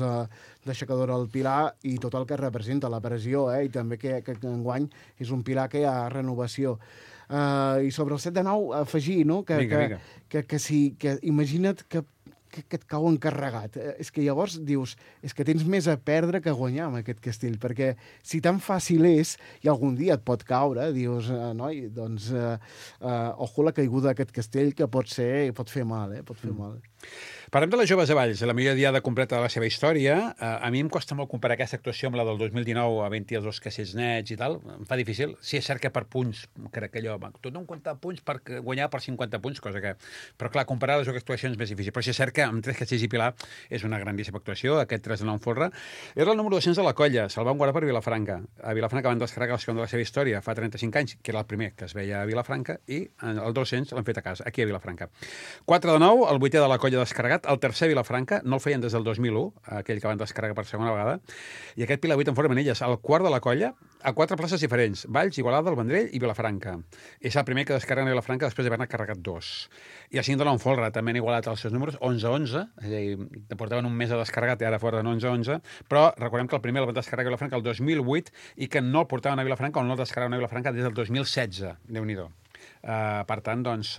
d'aixecadora al Pilar i tot el que representa, la pressió, i també que enguany és un Pilar que hi ha renovació. I sobre el 7 de 9, afegir, no? Que imagina't que et cau encarregat. És que llavors dius, és que tens més a perdre que a guanyar amb aquest castell, perquè si tan fàcil és, i algun dia et pot caure, dius, noi, doncs, ojo la caiguda d'aquest castell, que pot fer mal, pot fer mal. Parlem de les joves de Valls, la millor diada completa de la seva història. A mi em costa molt comparar aquesta actuació amb la del 2019, havent-hi els 2 castells nets i tal. Em fa difícil. Sí, és cert que per punts, crec que allò, tot no comptar punts per guanyar per 50 punts, cosa que... Però clar, comparar les dues actuacions és més difícil. Però sí, és cert que amb 3 castells i Pilar és una grandíssima actuació, aquest 3 de 9 en folre. Era el número 200 de la colla, se'l van guardar per Vilafranca. A Vilafranca van descarregar el segon de la seva història fa 35 anys, que era el primer que es veia a Vilafranca, i el 200 l'han fet a casa, aquí a Vilafranca. 4 de 9, el 8è de la colla descarregat, el tercer Vilafranca, no el feien des del 2001, aquell que van descarregar per segona vegada, i aquest Pilar 8 en formen elles, el quart de la colla, a 4 places diferents, Valls, Igualada, el Vendrell i Vilafranca. És el primer que descarreguen a Vilafranca després d'haver-ne carregat 2. I el 5 de la Folra també han igualat els seus números, 11-11, és a dir, portaven un mes de descarregat i ara foren 11-11, però recordem que el primer el van descarregar a Vilafranca el 2008 i que no el portaven a Vilafranca o no el descarregaven a Vilafranca des del 2016, Déu-n'hi-do. Per tant, doncs,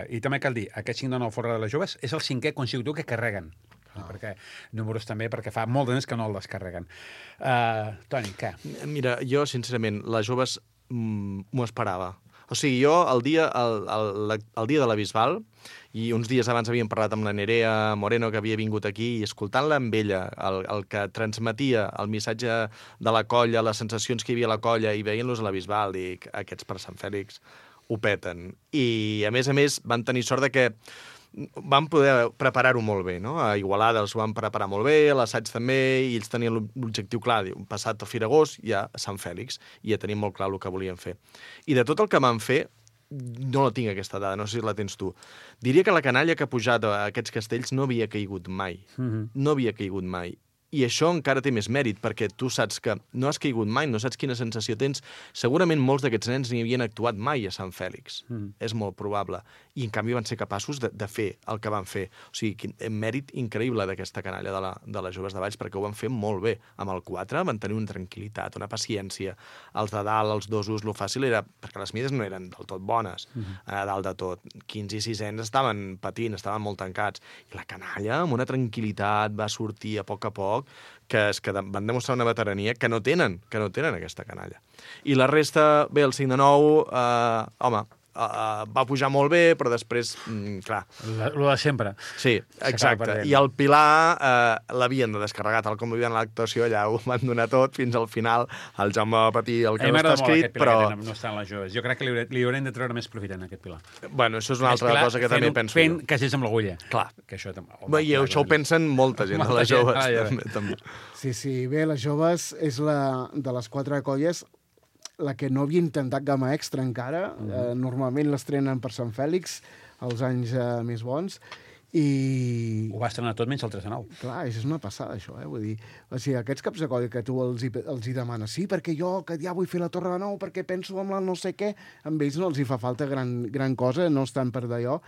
i també cal dir, aquest 5 de 9 Folre de les joves és el 5è consecutiu que carreguen, perquè números també, perquè fa molt de temps que no el descarreguen. Toni, què? Mira, jo, sincerament, les joves m'ho esperava. O sigui, jo, el dia de la Bisbal, i uns dies abans havíem parlat amb la Nerea Moreno, que havia vingut aquí, i escoltant-la amb ella, el que transmetia el missatge de la colla, les sensacions que hi havia a la colla, i veient-los a la Bisbal, dic, aquests per Sant Fèlix ho peten. I, a més, van tenir sort de que van poder preparar-ho molt bé, no? A Igualada els ho van preparar molt bé, a l'assaig també, i ells tenien l'objectiu clar, passat el Firagós, ja a Sant Fèlix, i ja tenim molt clar el que volien fer. I de tot el que van fer, no la tinc aquesta dada, no sé si la tens tu. Diria que la canalla que ha pujat a aquests castells no havia caigut mai. No havia caigut mai. I això encara té més mèrit, perquè tu saps que no has caigut mai, no saps quina sensació tens. Segurament molts d'aquests nens ni havien actuat mai a Sant Fèlix. És molt probable. I, en canvi, van ser capaços de fer el que van fer. O sigui, mèrit increïble d'aquesta canalla de les joves de Valls, perquè ho van fer molt bé. Amb el 4 van tenir una tranquil·litat, una paciència. Els de dalt, els dosos, lo fàcil era... Perquè les mides no eren del tot bones, a dalt de tot. 15 i 6 estaven patint, estaven molt tancats. I la canalla, amb una tranquil·litat, va sortir a poc, que van demostrar una veterania que no tenen aquesta canalla. I la resta, bé, el 5 de 9, va pujar molt bé, però després, clar... Lo de sempre. Sí, exacte. I el Pilar l'havien de descarregar, tal com havien l'actuació, allà ho van donar tot, fins al final el Jaume va patir el que no està escrit, però... No estan les joves. Jo crec que li haurem de treure més profit en aquest Pilar. Bueno, això és una altra cosa que també penso jo. Fent castells amb l'agulla. Clar. I això ho pensen molta gent, de les joves. També. Sí, bé, les joves és de les 4 colles la que no havia intentat gamma extra encara. Normalment l'estrenen per Sant Fèlix, els anys més bons, i... Ho va estrenar tot menys el 3 de 9. Clar, és una passada, això, vull dir... O sigui, aquests caps de colla que tu els hi demanes, sí, perquè jo que ja vull fer la Torre de Nou, perquè penso en la no sé què, amb ells no els hi fa falta gran cosa, no estan per d'allò,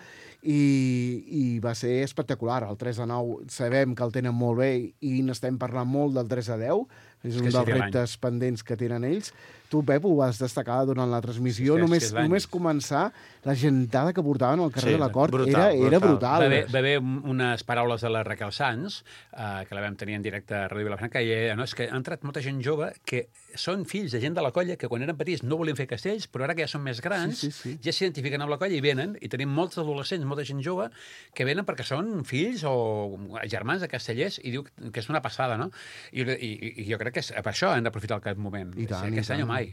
i va ser espectacular. El 3 de 9 sabem que el tenen molt bé i n'estem parlant molt del 3 de 10, és un dels reptes pendents que tenen ells. Tu, Pep, ho vas destacar durant la transmissió. Només començar, la gentada que portaven al carrer de la Cort era brutal. Va haver unes paraules de la Raquel Sanz, que la vam tenir en directe a Ràdio Vilafranca, i és que ha entrat molta gent jove que són fills de gent de la colla que quan eren petits no volien fer castells, però ara que ja són més grans, ja s'identifiquen amb la colla i venen, i tenim molts adolescents, molta gent jove, que venen perquè són fills o germans de castellers, i diu que és una passada, no? I jo crec que per això hem d'aprofitar aquest moment. Aquest any o mai.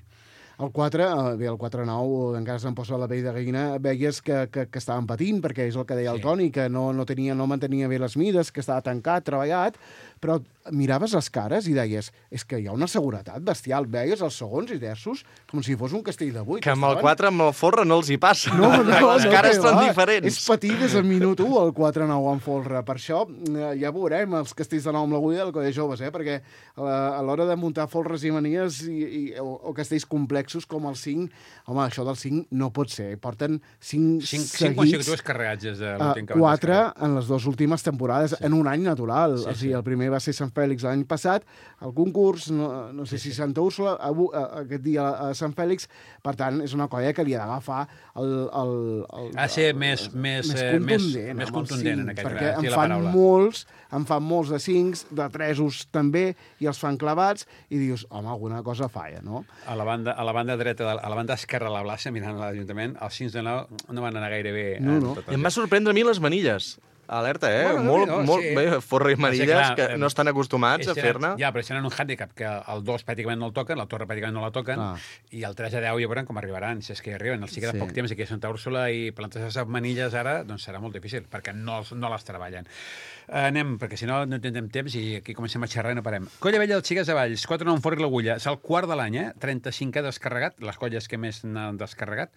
El 4-9, encara se'n posa la pell de gallina, veies que estaven patint, perquè és el que deia el Toni, que no mantenia bé les mides, que estava tancat, treballat, però miraves les cares i deies, és que hi ha una seguretat bestial. Veies els segons i terços com si fos un castell de 8. Que amb el 4, amb el folre, no els hi passa. Les cares són diferents. És patir des del minut 1 el 4-9 amb folre. Per això ja veurem els castells de 9 amb l'agulla del Coll de Joves, perquè a l'hora de muntar folres i manies o castells complexos com el 5, home, això del 5 no pot ser. Porten 5 seguits. 5 consecutius carregats des de l'últim que 4 en les 2 últimes temporades, en un any natural. O sigui, el primer va ser Sant Fèlix l'any passat, el concurs, no sé si Santa Úrsula, aquest dia a Sant Fèlix, per tant, és una colla que li ha d'agafar ha de ser més contundent en aquest perquè cas. En fan molts de 5, de 3 també, i els fan clavats, i dius, home, alguna cosa falla, no? A la banda dreta, a la banda esquerra de la plaça, mirant l'Ajuntament, els 5 de 9 no van anar gaire bé. No. I em va sorprendre a mi les manilles. Alerta, molt bé, forra i manilles que no estan acostumats a fer-ne. Ja, però si tenen un hàndicap que el 2 pràcticament no el toquen, la torre pràcticament no la toquen, i el 3 a 10 ja veurem com arribaran, si és que hi arriben. Els queda poc temps aquí a Santa Úrsula i plantar-se manilles ara doncs serà molt difícil, perquè no les treballen. Anem, perquè si no tindrem temps i aquí comencem a xerrar i no parem. Colla Vella dels Xiques de Valls, 4 no en forri l'agulla. És el quart de l'any, 35 ha descarregat, les colles que més n'han descarregat.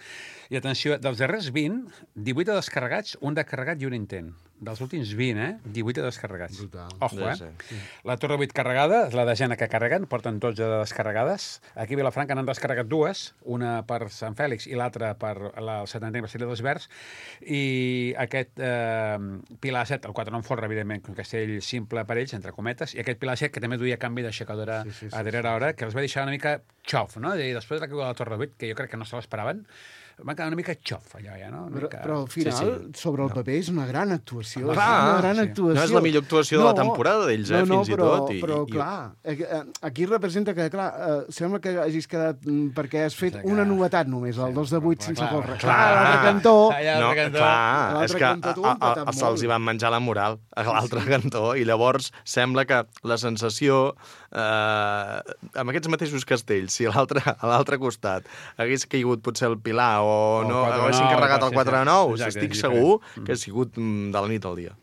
I atenció, dels darrers 20, 18 ha descarregats, un descarregat i un intent. Dels últims 20, 18 descarregats. Ojo, La Torre 8 carregada, la de Jana que carreguen, porten 12 descarregades. Aquí a Vilafranca n'han descarregat 2, una per Sant Fèlix i l'altra per el 70 aniversari dels Verds. I aquest Pilar 7, el 4 no en forra, evidentment, un castell simple per ells, entre cometes, i aquest Pilar 7, que també duia canvi d'aixecadora a darrera hora, que els va deixar una mica xof, no? I després de la caiguda de la Torre 8, que jo crec que no se l'esperaven, van quedar una mica xof, allò ja, no? Però al final, sobre el paper, és una gran actuació. No és la millor actuació de la temporada d'ells, fins i tot. Però, clar, aquí representa que, clar, sembla que hagis quedat perquè has fet una novetat només, el 2 de 8 sense folre. Clar, l'altre cantó... No, clar, és que se'ls hi van menjar la moral a l'altre cantó i llavors sembla que la sensació amb aquests mateixos castells, si a l'altre costat hagués caigut potser el Pilar o no haguessin carregat el 4-9, estic segur que ha sigut de la nit al dia.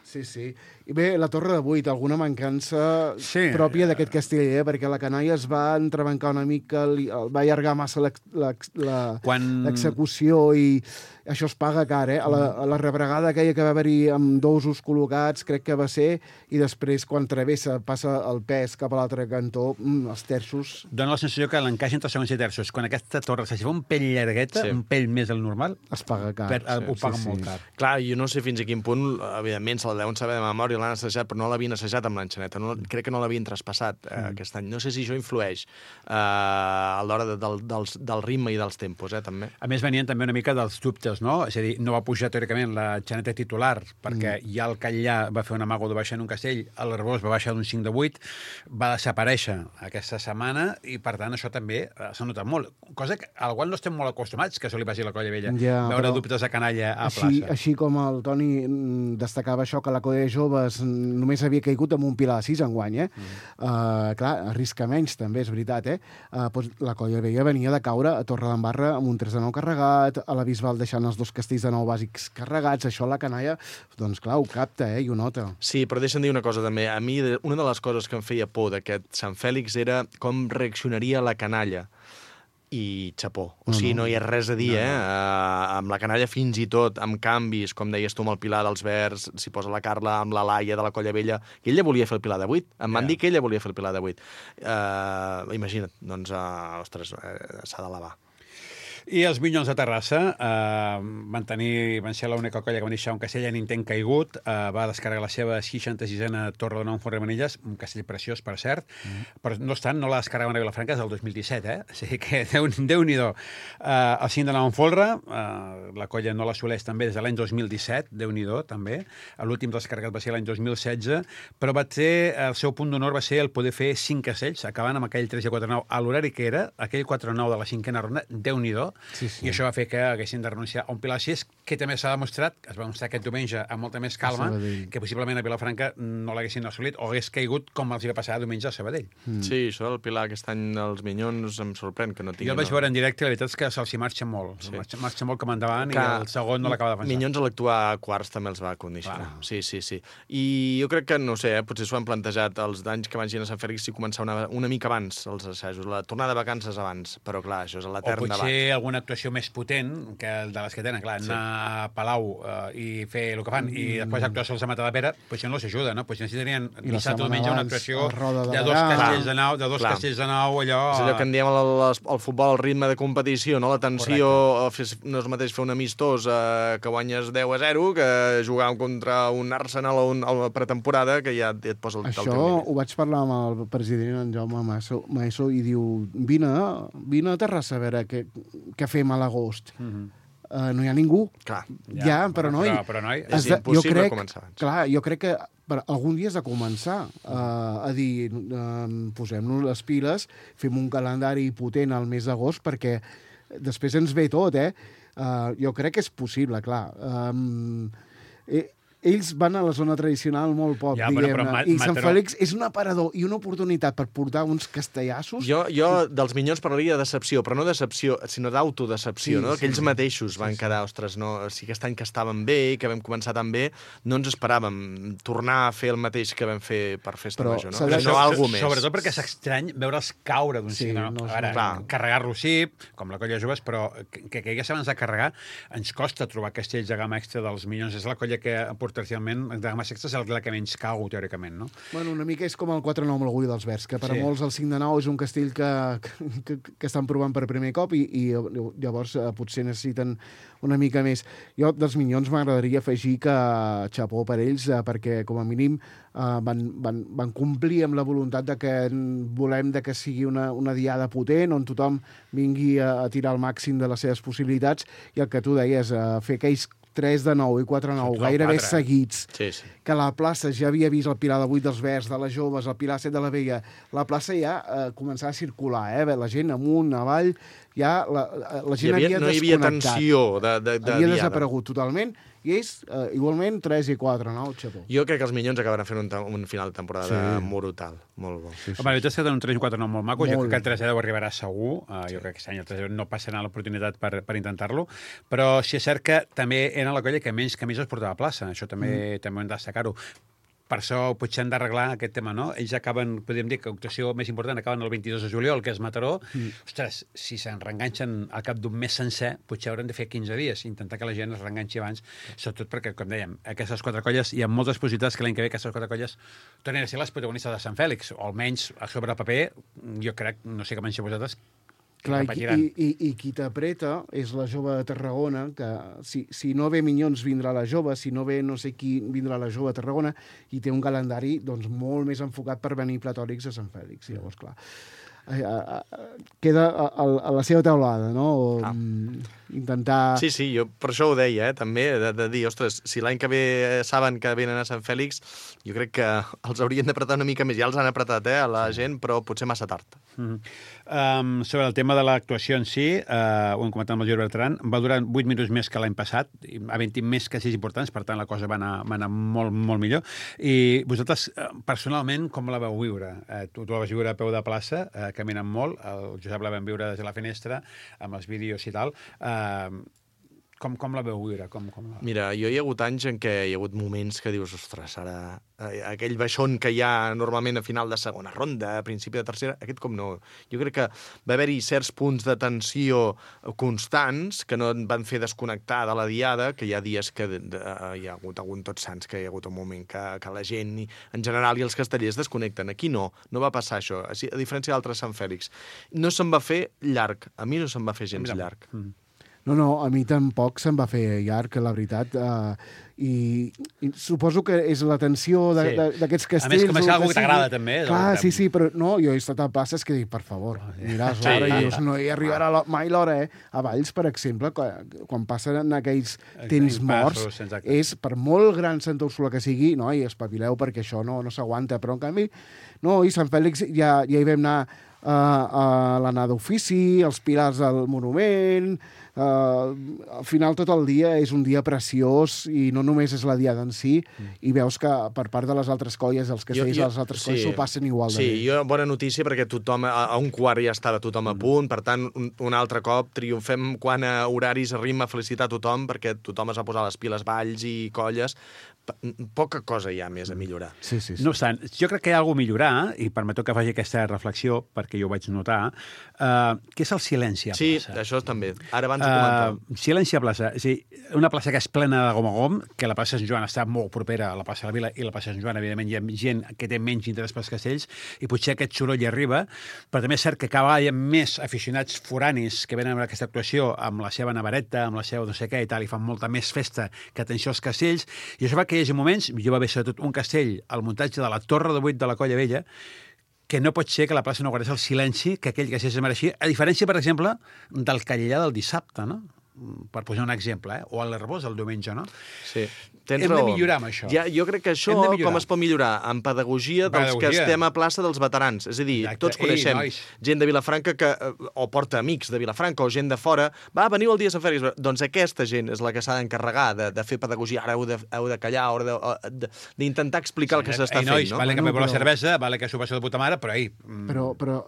Sí. I bé, la Torre de 8, alguna mancança pròpia d'aquest castell, perquè la canalla es va entrebancar una mica, va allargar massa l'execució i això es paga car, A la rebregada aquella que va haver-hi amb dosos col·locats, crec que va ser, i després, quan travessa, passa el pes cap a l'altre cantó, els terços... Dóna la sensació que l'encaix entre segons i terços. Quan aquesta torre s'ha fet un pell llargueta, un pell més del normal, es paga car. Ho paguen molt car. Clar, jo no sé fins a quin punt, evidentment, se la deuen saber de memòria, l'han assajat, però no l'havien assajat amb l'enxaneta. Crec que no l'havien traspassat aquest any. No sé si això influeix a l'hora del ritme i dels tempos, també. A més, venien també una mica dels dubtes, no? És a dir, no va pujar teòricament l'enxaneta titular, perquè ja el Catllà va fer un amago de baixar en un castell, l'Arbós va baixar d'un 5 de 8, va desaparèixer aquesta setmana, i per tant això també s'ha notat molt. Cosa al qual no estem molt acostumats, que això li passi a la Colla Vella, veure dubtes de canalla a plaça. Així com el Toni destacava això, que la Colla de Joves només havia caigut amb un Pilar 6 enguany, clar, arrisca menys també, és veritat, la Colla Vella venia de caure a Torredembarra amb un 3 de 9 carregat, a la Bisbal deixant els 2 castells de 9 bàsics carregats, això la canalla, doncs clar, ho capta, i ho nota. Sí, però deixa'm dir una cosa també. A mi, una de les coses que em feia por d'aquest Sant Fèlix era com reaccionaria la canalla. I xapó. O sigui, no hi ha res a dir, amb la canalla fins i tot, amb canvis, com deies tu, amb el Pilar dels Verds, s'hi posa la Carla, amb la Laia de la Colla Vella, i ella volia fer el Pilar de 8. Em van dir que ella volia fer el Pilar de 8. Imagina't, doncs, ostres, s'ha d'elevar. I els Minyons de Terrassa van ser l'única colla que van deixar un castell en intent caigut, va descarregar la seva 66a Torre de 9 en forra i manilles, un castell preciós, per cert, però no obstant, no la descarregaven a Vilafranca des del 2017, O sigui que Déu-n'hi-do. El 5 de 9 en folre, la colla no l'assoleix també des de l'any 2017, Déu-n'hi-do, també. L'últim descarregat va ser l'any 2016, però el seu punt d'honor va ser el poder fer 5 castells, acabant amb aquell 3 i 4-9 a l'horari que era, aquell 4-9 de la 5a ronda, Déu-n'hi-do, millor, i això va fer que haguessin de renunciar a un Pilar 6, que també s'ha demostrat, es va demostrar aquest diumenge amb molta més calma, que possiblement a Vilafranca no l'haguessin assolit o hagués caigut com els hi va passar diumenge a Sabadell. Sí, això del Pilar aquest any els Minyons em sorprèn que no tinguin... Jo el vaig veure en directe i la veritat és que se'ls hi marxa molt. Marxa molt com endavant i el segon no l'acaba de defensar. Minyons a l'actuar a quarts també els va condicionar. Sí. I jo crec que, no sé, potser s'ho han plantejat els d'anys que vagin a Sant Fèlix si començar una mica abans els assajos, la tornada de vacances abans, però clar, això és a l'etern debat. O potser alguna actuació més potent que de les que tenen, clar, anar a Palau i fer el que fan i després actuar sols a Matadepera, potser no els ajuda, no? Potser necessitarien dissabte o diumenge una actuació de dos castells de nau, allò... És allò que en diem al futbol, el ritme de competició, no? La tensió, no és el mateix fer un amistós que guanyes 10-0 que jugar contra un Arsenal o una pretemporada que ja et posa el teu nivell. Això ho vaig parlar amb el president, en Jaume Maeso, i diu, vine a Terrassa a veure què fem a l'agost. No hi ha ningú. Clar. Ja, però noi... Però noi, és impossible començar abans. Clar, jo crec que algun dia has de començar a dir, posem-nos les piles, fem un calendari potent al mes d'agost, perquè després ens ve tot, jo crec que és possible, clar. Ells van a la zona tradicional molt poc, diguem-ne, i Sant Fèlix és un aparador i una oportunitat per portar uns castellassos... Jo dels Minyons parlaria de decepció, però no decepció, sinó d'autodecepció, no? Que ells mateixos van quedar, ostres, no, si aquest any que estàvem bé, que vam començar tan bé, no ens esperàvem tornar a fer el mateix que vam fer per Festa Major, no? Però algo més. Sobretot perquè és estrany veure'ls caure d'un cicle, no? Ara, carregar-lo sí, com la colla joves, però que caigués abans de carregar, ens costa trobar castells de gamma extra dels Minyons. És la colla que potencialment de gamma extra és la que menys cau, teòricament, no? Bueno, una mica és com el 4-9 amb l'Orgull dels Verds, que per a molts el 5-9 és un castell que estan provant per primer cop i llavors potser necessiten una mica més. Jo dels Minyons m'agradaria afegir que xapó per ells, perquè com a mínim van complir amb la voluntat de que volem que sigui una diada potent, on tothom vingui a tirar el màxim de les seves possibilitats, i el que tu deies, fer aquells 3-9 i 4-9 gairebé seguits, que la plaça ja havia vist el Pilar de 8 dels Verds, de les Joves, el Pilar 7 de la Vella, la plaça ja començava a circular, la gent amunt, avall, ja la gent havia desconnectat. No hi havia tensió de diada. Havia desaparegut totalment, i ells, igualment, 3 i 4, no? Xapó. Jo crec que els Minyons acabaran fent un final de temporada brutal, molt bo. Home, la veritat és que tenen un 3 i 4 molt maco, jo crec que el 3-10 arribarà segur, jo crec que aquest any el 3-10 no passarà l'oportunitat per intentar-lo, però sí és cert que també era la colla que menys camises portava a plaça, això també ho hem de destacar-ho. Per això potser han d'arreglar aquest tema, no? Ells acaben, podríem dir que l'actuació més important acaben el 22 de juliol, que és Mataró. Ostres, si se'n reenganxen al cap d'un mes sencer, potser hauran de fer 15 dies, intentar que la gent es reenganxi abans, sobretot perquè, com dèiem, aquestes 4 colles, hi ha moltes possibilitats que l'any que ve aquestes 4 colles tornin a ser les protagonistes de Sant Fèlix, o almenys a sobre el paper, jo crec, no sé com en sé vosaltres, clar, i qui t'apreta és la Jove de Tarragona, que si no ve Minyons vindrà la Jove, si no ve no sé qui vindrà la Jove de Tarragona, i té un calendari doncs, molt més enfocat per venir platòrics a Sant Fèlix. Llavors, clar, queda a la seva teulada, no? Intentar... Sí, jo per això ho deia, també, de dir, ostres, si l'any que ve saben que venen a Sant Fèlix, jo crec que els haurien d'apretar una mica més. Ja els han apretat, a la gent, però potser massa tard. Sobre el tema de l'actuació en si, ho hem comentat amb el Jordi Bertran, va durar 8 minuts més que l'any passat, havent-hi més castells importants, per tant la cosa va anar molt, molt millor. I vosaltres, personalment, com la vau viure? Tu la vas viure a peu de plaça, caminant molt, el Josep la vam viure des de la finestra, amb els vídeos i tal. Com la veu viure? Mira, hi ha hagut anys en què hi ha hagut moments que dius, ostres, ara aquell baixón que hi ha normalment a final de segona ronda, a principi de tercera, aquest com no. Jo crec que va haver-hi certs punts de tensió constants que no van fer desconnectar de la diada, que hi ha dies que hi ha hagut algun Tots Sants, que hi ha hagut un moment que la gent, en general, i els castellers desconnecten. Aquí no va passar això, a diferència d'altres Sant Fèlix. No se'n va fer llarg, a mi no se'n va fer gens llarg. No, a mi tampoc se'm va fer llarg, la veritat, i suposo que és la tensió d'aquests castells... A més, com és algú que t'agrada, també. Clar, sí, però no, jo he estat a places que dic, per favor, miràs l'hora, i dius, no hi arribarà mai l'hora, A Valls, per exemple, quan passen aquells temps morts, és, per molt gran Santa Úrsula que sigui, no, i espavileu perquè això no s'aguanta, però en canvi, no, i Sant Fèlix ja hi vam anar l'anar d'ofici, els pilars del monument... al final tot el dia és un dia preciós i no només és la diada en si, i veus que per part de les altres colles, els castells de les altres colles s'ho passen igual de bé. Sí, bona notícia perquè tothom, a un quart ja estava tothom a punt, per tant, un altre cop triomfem quan a horaris arribem a felicitar tothom perquè tothom es va posar les piles, balls i colles. Poca cosa hi ha més a millorar. Sí. No obstant, jo crec que hi ha alguna a millorar, i permeteu que faci aquesta reflexió, perquè jo ho vaig notar, que és el silenci a plaça. Sí, això també. Ara abans ho comentàvem. Silenci a plaça. És a dir, una plaça que és plena de gom a gom, que la plaça Sant Joan està molt propera a la plaça de la Vila, i la plaça Sant Joan, evidentment, hi ha gent que té menys interès pels castells, i potser aquest soroll hi arriba, però també és cert que cada vegada hi ha més aficionats foranis que venen a aquesta actuació amb la seva navareta, amb la seva no sé què i tal, i fan molta més festa que atenció als castells, i això fa que hi hagi moments, jo va haver sobretot un castell al muntatge de la Torre de 8 de la Colla Vella, que no pot ser que la plaça no guardés el silenci que aquell castell es mereixia, a diferència, per exemple, del Callellà del dissabte, no? Per posar un exemple, o a l'Herbós el diumenge, no? Sí, tens Hem raó. de millorar amb això. Jo crec que això, com es pot millorar? Amb pedagogia dels que estem a plaça dels veterans. És a dir, tots coneixem gent de Vilafranca que o porta amics de Vilafranca o gent de fora. Va, veniu el dia de Sant Fèlix. Doncs aquesta gent és la que s'ha d'encarregar de fer pedagogia. Ara heu de callar, d'intentar explicar el que s'està fent, no? Vale que m'he la cervesa, vale que s'ho passo de puta mare, però Però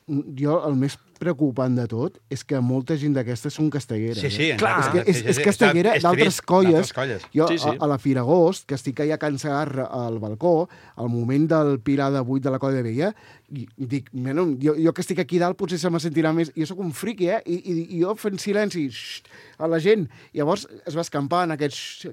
jo el més preocupant de tot és que molta gent d'aquestes són castelleres. Sí, clar. És castellera d'altres colles. Jo, a la Fira Agost, que estic allà a Can Segarra al balcó, al moment del Pilar de 8 de la Colla Vella, i dic, jo que estic aquí dalt potser se me sentirà més... Jo sóc un friqui, i jo fent silenci a la gent. Llavors es va escampar en aquests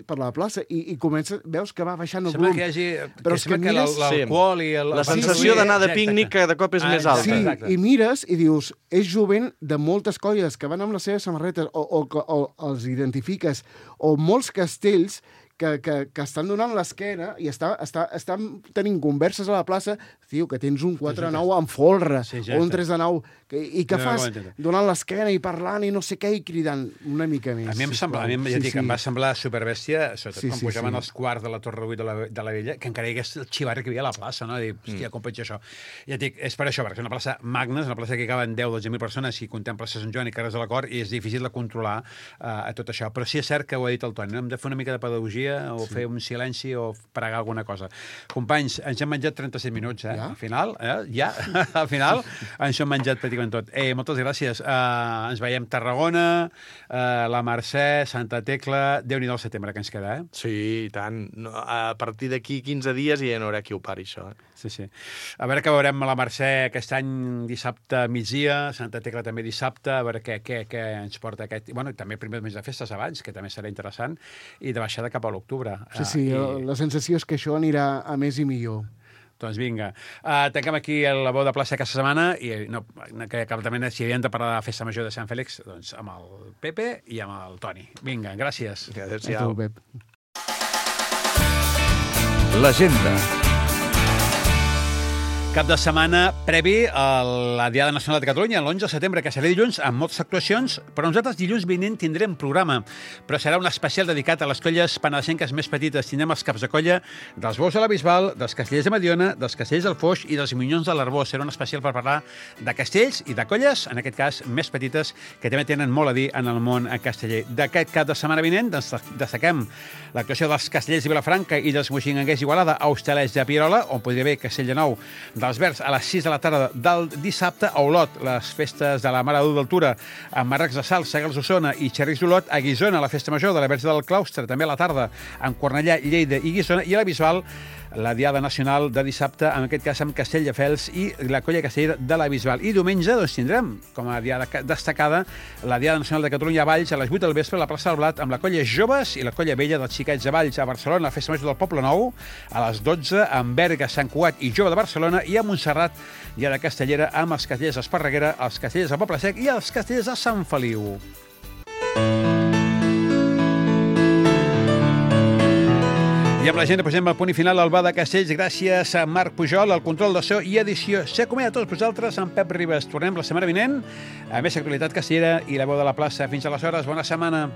per la plaça i veus que va baixant el volum. Sembla que hi hagi l'alcohol i... La sensació d'anar de pícnic cada cop és més alta. Sí, i mires i dius, és jovent de moltes colles que van amb les seves samarretes o els identifiques, o molts castells que estan donant l'esquena i estan tenint converses a la plaça, tio, que tens un 4-9 amb folre, o un 3-9, i que fas donant l'esquena i parlant i no sé què, i cridant una mica més. A mi em va semblar superbèstia, sobretot quan pujaven els quarts de la Torre 8 de la Vella, que encara hi hagués el xivarri que hi havia a la plaça, no? Dir, hòstia, com pot ser això? Ja et dic, és per això, perquè és una plaça magna, és una plaça que caben 10-12.000 persones i contem plaça Sant Joan i carrers de la Cort, i és difícil de controlar a tot això. Però sí és cert que ho ha dit el Toni, no? Hem de fer una mica de pedagogia o fer un silenci o pregar alguna cosa. Companys, ens hem menjat 37 minuts, Ja? Al final, al final ens hem menjat pràcticament tot. Moltes gràcies. Ens veiem Tarragona, la Mercè, Santa Tecla, Déu-n'hi-do el setembre que ens queda, Sí, i tant. A partir d'aquí 15 dies ja no haurà qui ho pari, això. Sí. A veure què veurem a la Mercè aquest any dissabte migdia, Santa Tecla també dissabte, a veure què ens porta aquest... Bueno, també primer mes de festes abans, que també serà interessant, i de baixada cap a l'octubre. Sí, la sensació és que això anirà a més i millor. Doncs vinga. Tanquem aquí la veu de plaça aquesta setmana i que també si havíem de parlar de la festa major de Sant Fèlix, doncs amb el Pepe i amb el Toni. Vinga, gràcies. Adéu-siau. L'agenda. Cap de setmana previ a la Diada Nacional de Catalunya, l'11 de setembre, que serà dilluns, amb moltes actuacions, però nosaltres dilluns vinent tindrem programa, però serà un especial dedicat a les colles penedesenques més petites. Tindrem els caps de colla dels Bous de la Bisbal, dels Castellers de Mediona, dels Castellers del Foix i dels Minyons de l'Arbós. Serà un especial per parlar de castells i de colles, en aquest cas, més petites, que també tenen molt a dir en el món casteller. D'aquest cap de setmana vinent destaquem l'actuació dels Castellers de Vilafranca i dels Moixinganguers d'Igualada a Hostalets de Pierola, on podria haver Castell de Nou dels Verds a les 6 de la tarda del dissabte, a Olot, les festes de la Mare de Déu d'Altura, amb Marracs de Sal, Segals d'Osona i Xerris d'Olot, a Guissona, la festa major de la Verge del Claustre, també a la tarda, amb Cornellà, Lleida i Guissona, i a la Bisbal, la Diada Nacional de dissabte, en aquest cas amb Castelldefels i la colla castellera de la Bisbal. I diumenge doncs, tindrem, com a diada destacada, la Diada Nacional de Catalunya a Valls, a les 8 del vespre, a la plaça del Blat, amb la colla Joves i la colla Vella dels Xiquets de Valls, a Barcelona, la festa major del Poble Nou, a les 12, amb Berga, Sant Cugat i Jove de Barcelona, i a Montserrat, diada castellera, amb els castellers d'Esparreguera, els castellers de Poble Sec i els castellers de Sant Feliu. I amb la gent posem el punt i final al Bar de Castells. Gràcies a Marc Pujol, al control de so i edició. S'acomiada a tots vosaltres amb Pep Ribes. Tornem la setmana vinent a més actualitat castellera i la veu de la plaça. Fins aleshores, bona setmana.